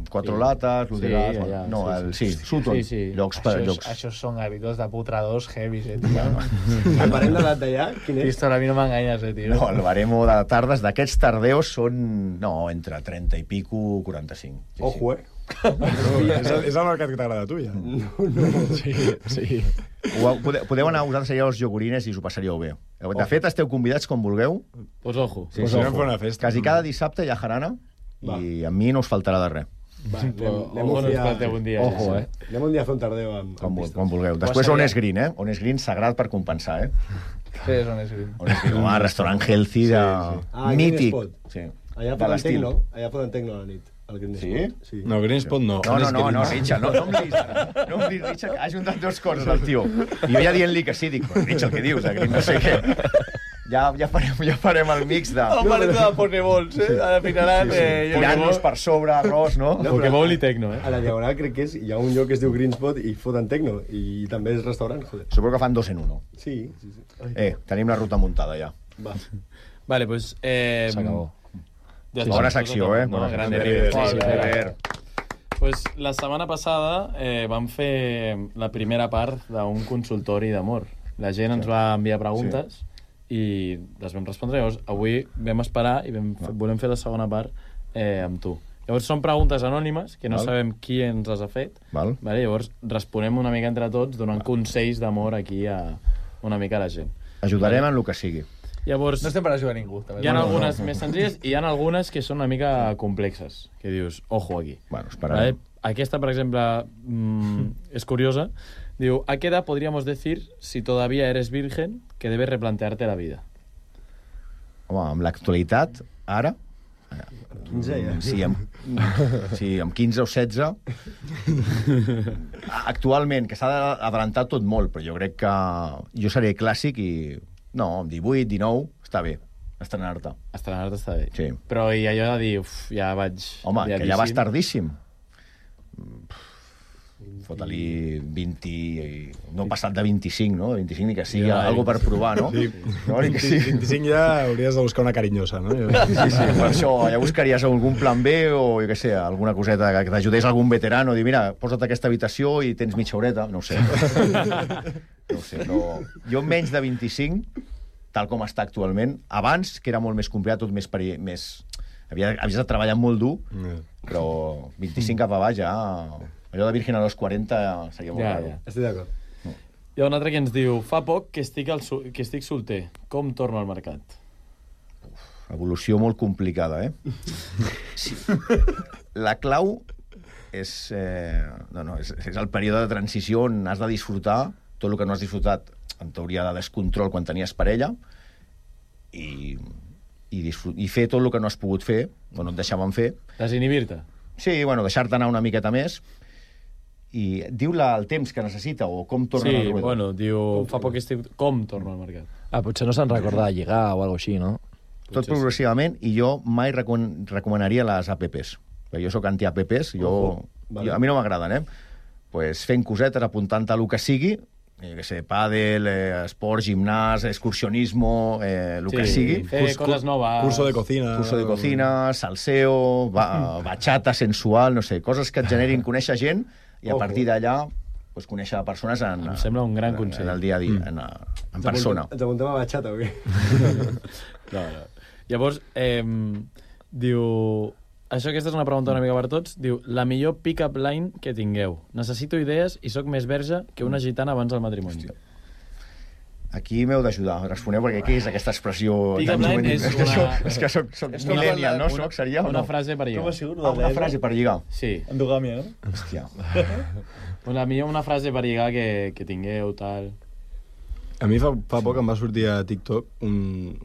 Quatre sí. Lates, Ludegas... Sí, allà, no, el, sí, sí, Sutton. Sí, sí. Llocs per llocs. Això són habitos de putradors heavies, eh, tio. El barem d'edat d'allà, quin és? Pistola, a mi no m'enganyes, eh, tio. No, el baremo de tardes d'aquests tardeos són... No, entre trenta i pico, quaranta-cinc. Sí, Ojo, eh? No, és, el, és el mercat que t'agrada a tu, ja. No, no. Sí, sí. Podeu, podeu anar a vosaltres allà als iogurines i us ho passaríeu bé. De ojo. Fet, esteu convidats com vulgueu. Pues ojo. Sí, pues sí, ojo. Una festa. Quasi cada dissabte hi ha jarana va. I a mi no us faltarà de res. Va, anem, anem, un dia, un dia, ojo, eh? anem un dia a fer un tardeu amb, com, amb com vulgueu. Després on és Green, eh? On és Green, sagrat per compensar, eh? Què és on és Green? On és Green, home, restaurant healthy de... Sí, sí. Ah, mític. Sí. Allà foten tecno, allà foten tecno a la nit. Sí? sí? No, Greenspot no. No, no, no, no, Richard, no, no em diguis ara. No em diguis, Richard, ha juntat dues coses el tio. I jo ja dient-li que sí, dic, però Richard, què dius? Green, no sé què. Ja, ja, farem, ja farem el mix de... No, parem de Pokéballs, eh? Ara ficaran... Sí, sí. Eh, tirant-nos per sobre, arròs, no? no Pokéball i tecno, eh? A la Diagonal crec que és, hi ha un lloc que es diu Greenspot i foten tecno, i també és restaurant, joder. Suposo que fan dos en uno. Sí, sí, sí. Ai. Eh, tenim la ruta muntada ja. Va. Vale, pues... Eh, S'acabó. Ja bona secció, eh? No? Bona Gran River. Sí, sí, River. Pues la setmana passada eh, vam fer la primera part d'un consultori d'amor. La gent ens va enviar preguntes sí. i les vam respondre. Llavors, avui vam esperar i vam, no. volem fer la segona part eh, amb tu. Llavors, són preguntes anònimes, que no Val. sabem qui ens les ha fet. Val. Vale? Llavors, responem una mica entre tots, donant Val. consells d'amor aquí a una mica a la gent. Ajudarem vale? en el que sigui. Llavors, no estem per ajudar a ningú. També. Hi ha algunes no, no. més senzilles i hi ha algunes que són una mica complexes, que dius, ojo aquí. Bueno, esperarem. ¿Vale? Aquesta, per exemple, mmm, és curiosa. Diu, ¿a qué edad podríamos decir, si todavía eres virgen, que debes replantearte la vida? Home, amb l'actualitat, ara, quinze, ja. Sí, amb, sí, amb quinze o setze. Actualment, que s'ha d'adelantar tot molt, però jo crec que jo seré clàssic i... No, amb divuit, dinou, està bé, estrenar-te. Estrenar-te està bé. Sí. Però i allò de dir, uf, ja vaig... Home, que ja vas tardíssim. Fota-li vint... No passat de vint-i-cinc, no? vint-i-cinc ni que sigui ja, algo per provar, no? Sí. No, ni que sí. vint-i-cinc ja hauries de buscar una carinyosa, no? Sí, sí, per això ja buscaries algun plan B o, jo què sé, alguna coseta que t'ajudés algun veterano, dir, mira, posa't aquesta habitació i tens mitja horeta, no ho sé. No ho sé, però jo menys de vint-i-cinc, tal com està actualment, abans, que era molt més complicat, tot més... Peri... més... Havia, havies de treballar molt dur, però vint-i-cinc cap a baix ja... Allò de Virgen a los quaranta seria molt Ja, raro. ja. Estic d'acord. Hi ha un altre que ens diu, fa poc que estic, al su que estic solter, com torno al mercat? Evolució molt complicada, eh? Sí. La clau és, eh, no, no, és, és el període de transició on has de disfrutar tot el que no has disfrutat, en teoria de descontrol quan tenies parella, i, i, i fer tot el que no has pogut fer, o no et deixaven fer. Desinhibir-te? Sí, bueno, deixar-te anar una miqueta més, i diu la, el temps que necessita o com torna sí, al ruedo. Bueno, diu, fa poc que estic... Com torno al mercat? Ah, potser no se'n recorda de lligar o alguna així, no? Tot potser progressivament, sí. I jo mai recom recomanaria les apps. Jo sóc anti-apps, jo, oh, vale. jo, a mi no m'agraden, eh? Pues fent cosetes, apuntant a el que sigui, eh, que sé, pàdel, eh, esport, gimnàs, excursionismo, eh, el sí, que sigui. Fer Curs, coses noves. Curso de cocina. Curso de cocina, salseo, ba bachata sensual, no sé, coses que et generin conèixer gent i a partir d'allà pues, conèixer persones en, em sembla un gran consell. En el dia a dia, en, en persona. Ens apuntem a bachata o què? No, no. Llavors, eh, diu... Això, aquesta és una pregunta una mica per tots. Diu, la millor pick-up line que tingueu. Necessito idees i sóc més verge que una gitana abans del matrimoni. Hòstia. Aquí m'heu d'ajudar. Responeu, perquè què és aquesta expressió pick-up tan line és una... una... És que, és que soc, soc és millennial, no? Una, Soc, seria, una no? frase per lligar. Com ha sigut? Ah, una frase per lligar. Sí. Endogàmia, no? Hòstia. La millor una frase per lligar que, que tingueu, tal... A mi fa, fa poc em va sortir a TikTok un,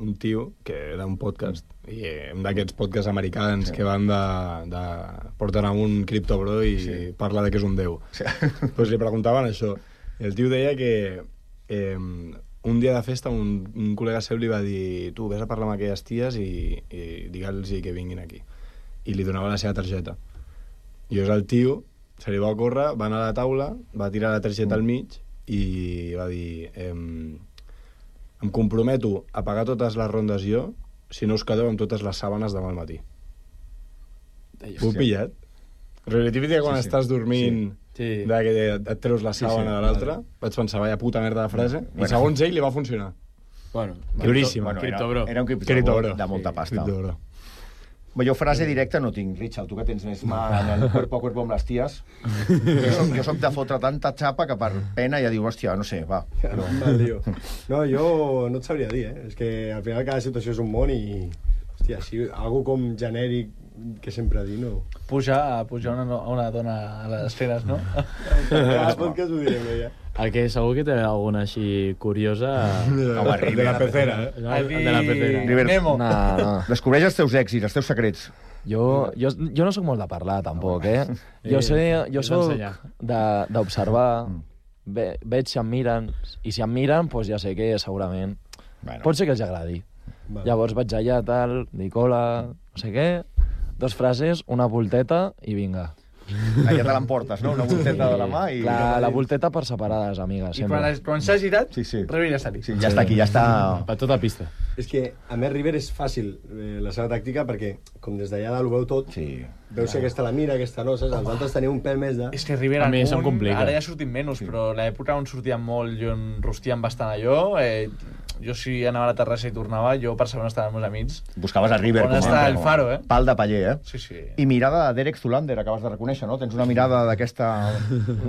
un tio que era un podcast, i eh, un d'aquests podcasts americans sí. que van de, de... porten a un criptobro i sí. parla de que és un déu. Sí. Pues li preguntaven això. El tio deia que eh, un dia de festa un, un col·lega seu li va dir tu, vés a parlar amb aquelles ties i, i digue'ls que vinguin aquí. I li donava la seva targeta. I és el tio, se li va ocórrer, va anar a la taula, va tirar la targeta mm. al mig i va dir em, em comprometo a pagar totes les rondes jo si no us quedeu amb totes les sàbanes demà al matí. Ho he pillat? Però la típica quan sí, sí. estàs dormint sí. de que et treus la sàbana sí, sí. de l'altra, vale. Vaig pensar, vaya puta merda de frase, bueno. I segons ell li va funcionar. Bueno, duríssima. Bueno, era, era un criptobro de molta pasta. Criptobro. Jo frase directa no tinc, Richard, tu que tens més mà en el cuerpo a cuerpo amb les ties. Jo soc, jo soc de fotre tanta xapa que per pena ja diu, hòstia, no sé, va. Però... No, jo no et sabria dir, eh? És que al final cada situació és un món i... Hòstia, així, algo com genèric que sempre dir, no? Pujar, pujar una, una dona a les esferes, no? Cada podcast ho direm, ja. El que segur que té alguna així curiosa... Home, de la pecera, eh? El de la pecera. River, Nemo. No, no. Descobreix els teus èxits, els teus secrets. Jo, jo, jo no sóc molt de parlar, tampoc, eh? Jo, sé, jo soc d'observar, ve, veig si em miren, i si em miren, doncs ja sé que segurament... Bueno. Pot ser que els agradi. Vale. Llavors vaig allà, tal, dic hola, no sé què, dos frases, una volteta i vinga. Allà te l'emportes, no? Una volteta de la mà i... Clar, la volteta per separades, amigues. I quan, quan s'ha girat, sí, sí. River ja està aquí. Sí, ja està aquí, ja està... Per tota pista. És que, a més, River és fàcil eh, la seva tàctica perquè, com des d'allà dalt ho veu tot, sí. Veus si aquesta la mira, aquesta no, saps? Els altres teniu un pèl més de... És que River a mi se'm complica. Ara ja sortim menys, sí. Però l'època on sortíem molt i on rostíem bastant allò... Eh, jo si anava a la terrassa i tornava, jo per saber on estaven els meus amics. Buscaves a River. On està el faro, eh? Pal de paller, eh? Sí, sí. I mirada de Derek Zoolander, acabes de reconèixer, no? Tens una mirada d'aquesta...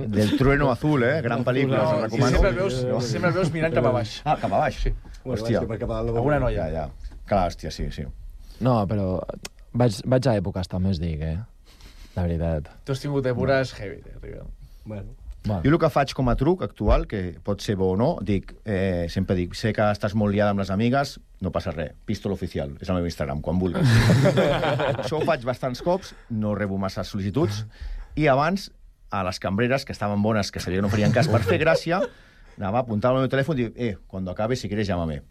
del trueno azul, eh? Gran pel·lícula, no, us recomano. Sí, sempre el veus, no. sempre el veus mirant cap a baix. Ah, cap a baix? Sí. Hòstia. Per cap a dalt no alguna noia. Ja, ja. Clar, hòstia, sí, sí. No, però vaig, vaig a èpoques també, us dic, eh? La veritat. Tu has tingut èpoques heavy, eh, River. Bueno. Va. Jo el que faig com a truc actual, que pot ser bo o no, dic, eh, sempre dic, sé que estàs molt liada amb les amigues, no passa res, Pistol Oficial, és el meu Instagram, quan vulguis. Això ho faig bastants cops, no rebo massa sol·licituds, i abans, a les cambreres, que estaven bones, que sabia que no farien cas per fer gràcia, anava, apuntava el meu telèfon i dic, eh, quan acabes, si quieres, llámame.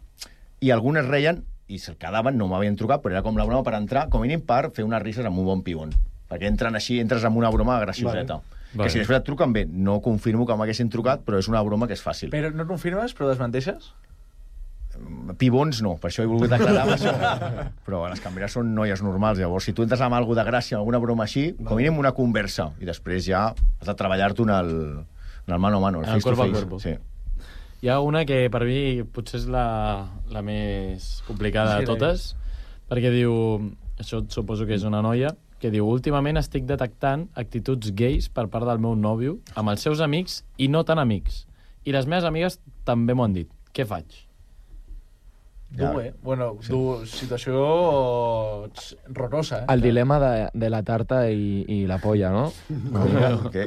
I algunes reien, i se'l quedaven, no m'havien trucat, però era com la broma per entrar, com a mínim per fer unes risses amb un bon pibon. Perquè entren així, entres amb una broma gracioseta. Vale. Que vale. Si després et truquen bé, no confirmo que m'haguessin trucat, però és una broma que és fàcil. Però no confirmes, però desmenteixes? Pibons no, per això he volgut aclarar amb això. Però les cambreres són noies normals, llavors si tu entres amb alguna de gràcia, alguna broma així, vale. Com a mínim una conversa, i després ja has de treballar-t'ho en el, en el mano a mano, el face to face. Sí. Hi ha una que per mi potser és la, la més complicada de totes, perquè diu, això suposo que és una noia, que diu, últimament estic detectant actituds gais per part del meu nòvio amb els seus amics i no tan amics. I les meves amigues també m'ho han dit. Què faig? Ja. Dur, eh? Bueno, sí. Dur, situació horrorosa, eh? El dilema de, de la tarta i, i la polla, no? no.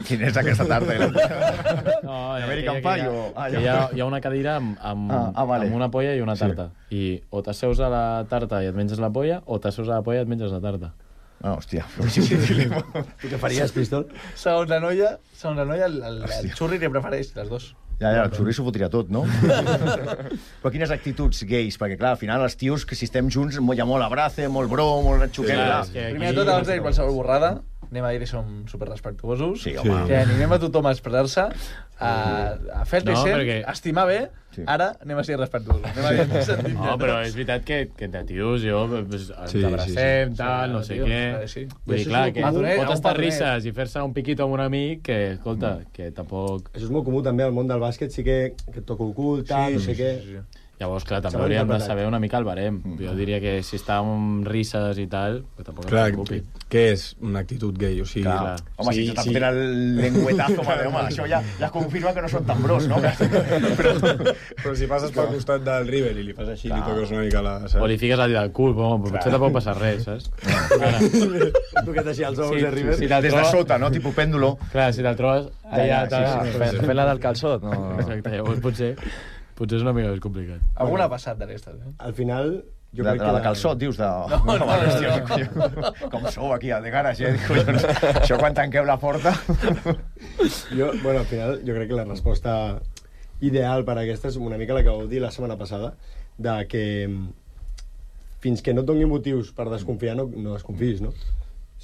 Quina és aquesta tarta i la polla? No, American Pie o... Ah, hi, ha, hi ha una cadira amb, amb, ah, ah, vale. amb una polla i una tarta. Sí. I o t'asseus a la tarta i et menges la polla, o t'asseus a la polla i et menges la tarta. Ah, hòstia, però sí, sí, sí. Tu què faries, Pistol? Segons la noia, segons la noia el, el, el xurri li prefereix, les dos. Ja, ja, el xurri s'ho fotria tot, no? Però quines actituds gais? Perquè, clar, al final els tios, que si estem junts, hi ha molt abrace, molt bro, molt xuquet. Sí, primer de tot, abans de dir qualsevol borrada, anem a dir que som superrespectuosos, sí, home. Que animem a tothom a expressar-se, a, a fer-te no, ser, perquè... estimar bé, sí. Ara anem a ser respectuosos. Anem a sí. No, però és veritat que, que entre tios jo pues, ens sí, abracem, sí, sí. tal, no sé sí, què... Sí. Vull dir, clar, que pot estar risses i fer-se un piquito amb un amic que, escolta, que tampoc... Això és molt comú també al món del bàsquet, sí que, que et toca el cul, tal, sí, no sé sí, què... Sí, sí. Llavors, clar, també hauríem de saber una mica el barem. Mm. Jo diria que si està amb risses i tal, que tampoc clar, es preocupi. Què és una actitud gay? O sigui, clar. Clar. Home, sí, si t'està sí. fotent el lengüetazo, madre, home, això ja, ja confirma que no són tan bros, no? però, però si passes pel costat del River i li fas així, clar. Li toques una mica la... Saps? O li fiques el dit al cul, però potser tampoc passa res, saps? Tu que t'així els ous sí, de River. Si des de sota, no? Tipus pèndulo. Clar, si te'l trobes allà... Fent la del calçot, no? Exacte, llavors potser... Potser és una mica més complicat. Alguna ha passat d'aquestes, eh? Al final... Jo la, crec que la de calçot, dius? De... No, no, no, no, no, no. Com sou aquí, al de garage, eh? Collons, això quan tanqueu la porta... Jo, bueno, al final, jo crec que la resposta ideal per a aquesta és una mica la que vau dir la setmana passada, de que fins que no et doni motius per desconfiar, no, no desconfiïs, no?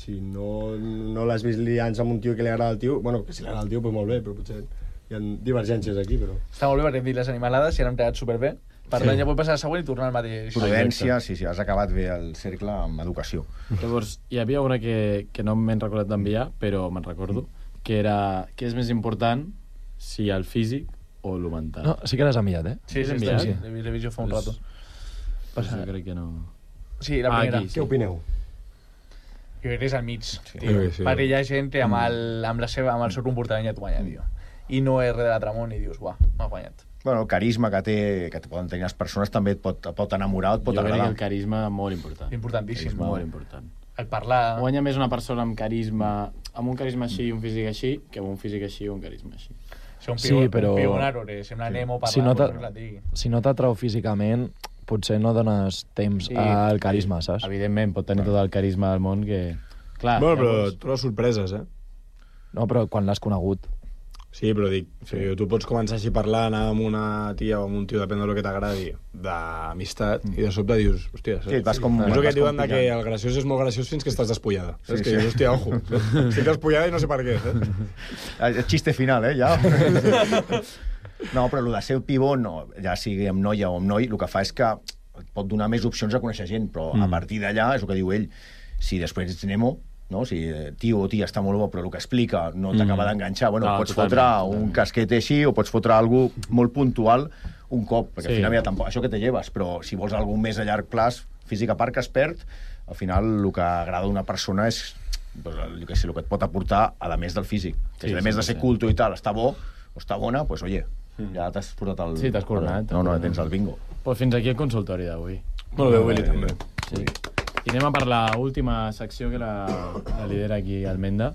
Si no, no l'has vist liant amb un tio que li agrada al tio, bueno, que si li agrada al tio, doncs molt bé, però potser... Hi ha divergències aquí, però... Està molt bé perquè hem dit les animalades i han quedat superbé. Per tant, sí. Ja vull passar a la següent i tornar al mateix. Prudència, sí, sí, has acabat bé el cercle amb educació. Llavors, hi havia una que, que no m'he recordat d'enviar, però me'n recordo, que era què és més important, si el físic o el mental. No, sí que l'has enviat, eh? Sí, sí, enviat. Sí. L'he vist jo fa un pues, rato. Pues jo crec que no... Sí, la primera. Ah, aquí, sí. Què opineu? Jo crec que és al mig, sí. Sí, tio. sí. Perquè hi ha gent que amb el, amb la seva, amb el seu comportament ja t'ho guanya, tio. I no és res de l'Atramont i dius, uah, m'ha guanyat. Bueno, el carisma que té, que poden tenir les persones també et pot, pot enamorar, et pot jo agradar. Jo crec que el carisma és molt important. Importantíssim. És molt important. El parlar... Guanya més una persona amb carisma, amb un carisma així i un físic així, que amb un físic així i un carisma així. Si un piu, sí, però... un piu un arbre, sembla sí. Nemo parlar, si no pues, si no t'atrau físicament, potser no dones temps sí, al carisma, saps? Evidentment, pot tenir tot el carisma del món que... Clar, bueno, però llavors... tu les sorpreses, eh? No, però quan l'has conegut... Sí, però dic, sí. Tu pots començar així a parlar, anar amb una tia o amb un tio, depèn del que t'agradi, d'amistat, mm. i de sobte dius, hòstia, sí, vas com, és el que et diuen de que el graciós és molt graciós fins que estàs despullada. Sí, és que sí. Dius, hòstia, ojo, estic despullada i no sé per què. Eh? El xiste final, eh, ja. No, però el de ser pivó, no, ja sigui amb noia o amb noi, el que fa és que et pot donar més opcions a conèixer gent, però mm. a partir d'allà, és el que diu ell, si després ets Nemo, no? Si tio o tia està molt bo però el que explica no t'acaba mm. d'enganxar, bueno, no, pots fotre un casquet així o pots fotre algú molt puntual un cop, perquè sí. Al final ja tampoc, això que te lleves, però si vols algú més a llarg plaç, físic a part que es perd, al final el que agrada una persona és pues, el, que sé, el que et pot aportar a més del físic, sí, si a més sí, de ser sí. Culto i tal, està bo o està bona, doncs pues, oye, ja t'has portat el... Sí, t'has coronat. No, no, tens el bingo. Pues fins aquí el consultori d'avui. Molt bé, Willy, també. Sí. I anem a per l'última secció que la, la lidera aquí Almenda,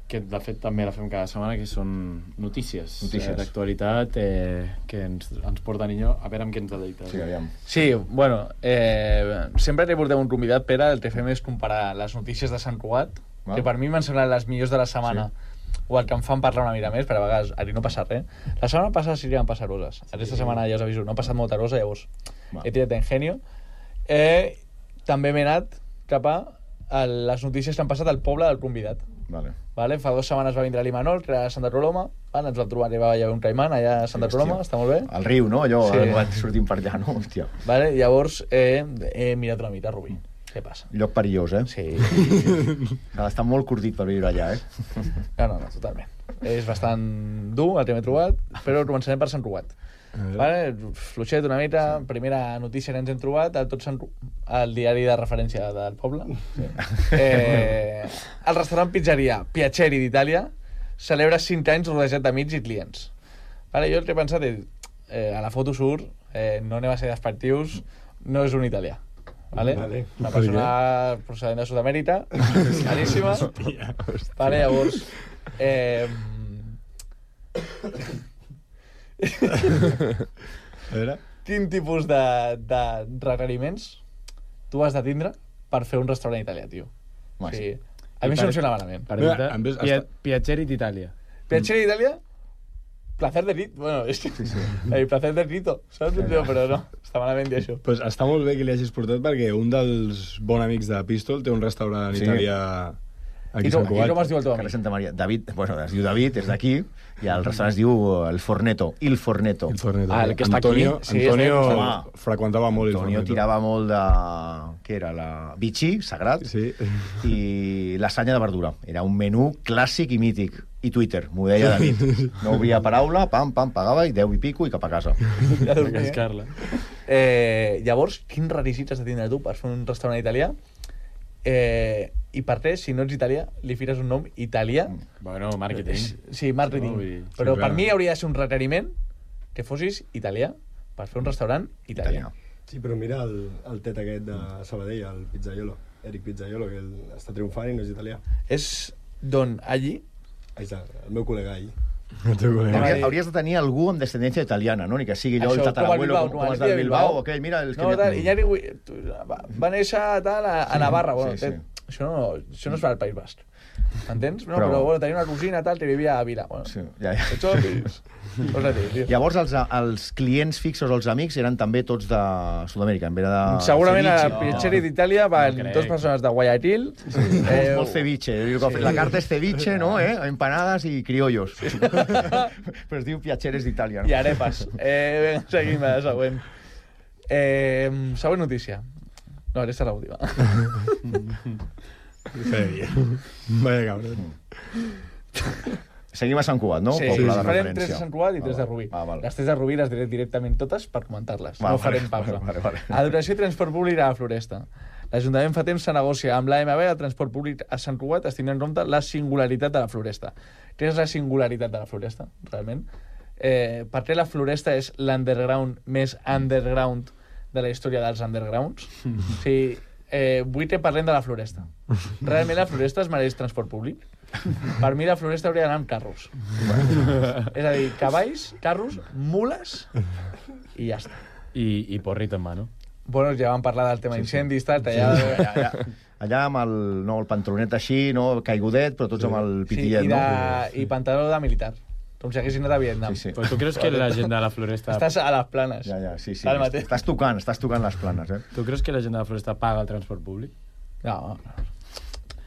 que de fet també la fem cada setmana, que són notícies, Notícies. eh, d'actualitat eh, que ens, ens porta Niño. A veure amb què ens deleita. Sí, aviam. Sí, bueno, eh, sempre li portem un convidat, Pere, el que fem és comparar les notícies de Sant Cugat, Val. que per mi m'han semblat les millors de la setmana, o el que em fan parlar una mica més, però a vegades aquí no passa res. La setmana passada sí que van passar coses. Aquesta setmana ja us aviso, no ha passat molta cosa, llavors Val. he tirat d'engenio. Eh, també m'he anat cap a a les notícies que han passat al poble del convidat. Vale. Vale? Fa dues setmanes va vindre l'Imanol, que era a Santa Coloma, vale? Ens vam trobar, va haver un caimán allà a Santa Sí, Coloma, hòstia. està molt bé. Al riu, no? Allò, Sí. sí. sortim per allà, no? Hòstia. Vale? Llavors eh, he mirat una mica, Rubí. Què passa? Lloc perillós, eh? Sí. Ha d'estar molt curtit per viure allà, eh? No, no, no, totalment. És bastant dur el que m'he trobat, però començarem per Sant Cugat. Vale? Fluixet una mica, primera notícia que ens hem trobat, a tot Sant... al diari de referència del poble. Sí. Eh, el restaurant pizzeria Piaceri d'Itàlia celebra cinc anys rodejat d'amics i clients. Vale? Jo el que he pensat és, eh, a la foto surt, eh, no anem a ser despectius, no és un italià. Vale? Vale. Una persona procedent de Sud-amèrica, claríssima. Vale, llavors... Eh, A veure... quin tipus de, de requeriments tu has de tindre per fer un restaurant italià, tio? Home, O sí. sigui, a mi per- això em sona malament. Per Mira, exemple, en vez- Pia, hasta- Piaceri d'Itàlia. Piacere d'Itàlia? Placer de rito. Bueno, és que... Sí, sí. Eh, placer de rito, saps? Ja, però no, està malament dir això. Pues està molt bé que li hagis portat perquè un dels bons amics de Pistol té un restaurant Sí. italià aquí I, a com, Sant I com Cugat. es diu el teu Carrer amic? Santa Maria. David, bueno, es diu David, és d'aquí, i el restaurant es diu El Forneto, Il Forneto. El Forneto. Ah, el que està Antonio, aquí. Sí, Antonio és de- freqüentava molt el Antonio Forneto. tirava molt de... Què era? La Vichy, sagrat, Sí. i lasanya de verdura. Era un menú clàssic i mític. I Twitter, m'ho deia David. No obria paraula, pam, pam, pagava, i deu i pico, i cap a casa. Ja A dormia. cascar-la. Eh, llavors, quins requisits has de tindre tu per fer un restaurant italià? Eh, I per res, si no ets italià, li fiques un nom italià. Bueno, màrqueting. Sí, màrqueting. No, vull dir, Però sí, per clar. mi hauria de ser un requeriment que fossis italià per fer un restaurant italià. Italià. Sí, però mira el, el tet aquest de Sabadell, el Pizzaiolo, Eric Pizzaiolo, que el, està triomfant i no és italià. És d'on allí... Ahí està, el meu col·lega ahí. El teu col·lega. Hauries, hauries de tenir algú amb descendència italiana, no? Ni que sigui allò Això, el com el tatarabuelo, Bilbao, com, com com el els del de Bilbao, Bilbao. aquell, mira... Els No, que... tal, i Iñárritu va, va néixer tal, a, a Navarra. Bueno, Sí, sí. té- Això, no, això no es fa al País Basc. Entens? No, Però- però, bueno, tenia una cosina tal que vivia a Vila. Bueno, Sí, ja, ja. Això és... Pues res, tio. Llavors, els, els clients fixos, els amics, eren també tots de Sud-amèrica, en vez de Segurament a ceviche. Piacere d'Itàlia van No crec. dues persones de Guayaquil. Eh, molt ceviche. Sí. La carta és ceviche, no? Eh? Empanadas i criollos. Però es diu Piaceres d'Itàlia. I No? arepas. Eh, vinga, seguim a la següent. Eh, següent notícia. No, aquesta és l'última. Feia bien. Vaya cabrón. Seguim a Sant Cugat, no? Sí, Poble sí, de farem referència. tres de Sant Cugat i tres de Ah, Rubí. Ah, val. Les tres de Rubí les diré directament totes per comentar-les. Va, No vale, farem pausa. vale, vale, vale. Adoració i transport públic a la Floresta. L'Ajuntament fa temps se negocia amb l'A M B el transport públic a Sant Cugat, es tindrà en compte la singularitat de la Floresta. Què és la singularitat de la Floresta, realment? Eh, per què la Floresta és l'underground més underground de la història dels undergrounds? O sigui, eh, vull que parlem de la Floresta. Realment la Floresta es mereix transport públic? Per mi la Floresta hauria d'anar amb carros. És a dir, cavalls, carros, mules i ja està. I, i porrit en mà, no? Bueno, ja vam parlar del tema sí, incendis, tal, allà... Allà, allà, allà amb el, no, el pantalonet així, no, caigudet, però tots amb el pitillet, sí, i, de, no? i pantaló de militar, com si haguessin anat a Vietnam. Sí, sí. Però tu creus que la gent de la Floresta... Estàs a les planes. Ja, ja, sí, sí. Al mateix. Estàs tocant, estàs tocant les planes, eh? Tu creus que la gent de la Floresta paga el transport públic? No,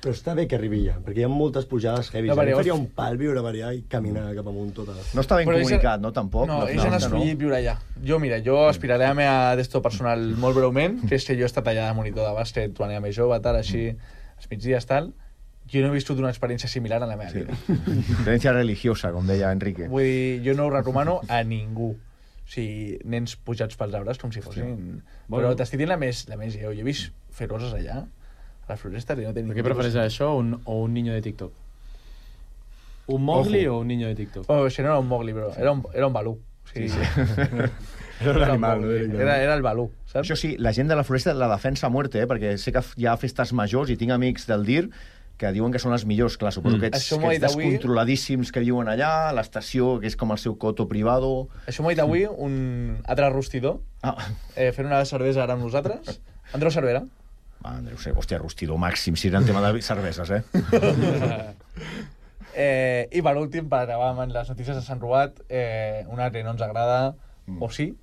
Però està bé que arribi ja, perquè hi ha moltes pujades heavies. No, No, perquè a mi faria llavors- un pal viure per allà i caminar cap amunt tota la... No està ben Però ells- comunicat, no, tampoc? no, La ells han Floresta, escollit viure allà. Jo, mira, jo aspiraré a meva d'esto personal molt breument, que és que jo he estat allà de monitor de bàsquet quan era més jove, tal, així, als migdies, tal. Jo no he viscut una experiència similar en la meva Sí. vida. Experiència religiosa, com deia Enrique. Vull dir, jo no ho recomano a ningú. O sigui, nens pujats pels arbres com si fossin... Bueno. Però t'estic dient la més, la més lleu. Jo he vist fer coses allà, a la Floresta, i no té Per ningú què prefereix tipus- això o un, o un niño de TikTok? Un Mowgli Ojo. o un niño de TikTok? Oh, això no era un Mowgli, bro. Era un, era un Balú. O sigui, sí, sí. Era un animal, no? Era, era el Balú, saps? Això sí, la gent de la Floresta la defensa a muerte, eh? Perquè sé que hi ha festes majors i tinc amics del D I R que diuen que són els millors, clar, suposo Mm. que ets, Això m'ho ha que dit ets avui. descontroladíssims que viuen allà, l'estació, que és com el seu coto privado... Això m'ho ha dit avui un altre rostidor, Ah, eh, fent una cervesa ara amb nosaltres. Andreu Cervera. va, Andreu, sé, hòstia, rostidor màxim, si era en tema de cerveses, eh? eh, I per últim, per acabar amb les notícies de Sant Ruat, eh, una que no ens agrada, Mm. o sí.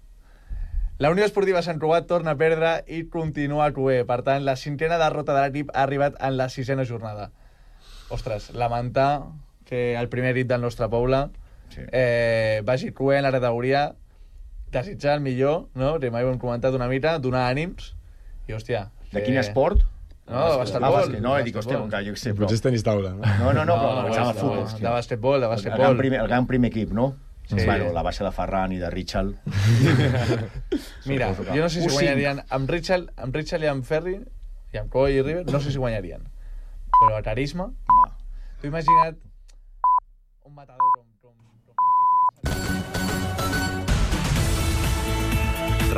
La Unió Esportiva Sant Ruat torna a perdre i continua cuer. Per tant, la cinquena derrota de l'equip ha arribat en la sisena jornada. Ostres, lamentar que el primer equip del nostre poble Sí. eh, vagi cuer en la categoria, desitjar el millor, no? Que mai ho hem comentat una mica, donar ànims, i hòstia... De que- quin esport? No, de basquetbol. Ah, bàsquet, no, dic, hòstia, Basquetbol. com que jo què sé, però... Potser és tenis taula, no? No, no, no, però No, pensava de- futbol, de, hòstia. de basquetbol, de El basquetbol. gran, primer, el gran primer equip, no? Sí. Bueno, la baixa de Ferran i de Richard. Mira, Suposo que- jo no sé si U cinc. guanyarien amb Richard, amb Richard i amb Ferri, i amb Coy i River, no sé si guanyarien. Però a carisma, Va. t'ho imagina't un matador com... com, com Ricky Díaz.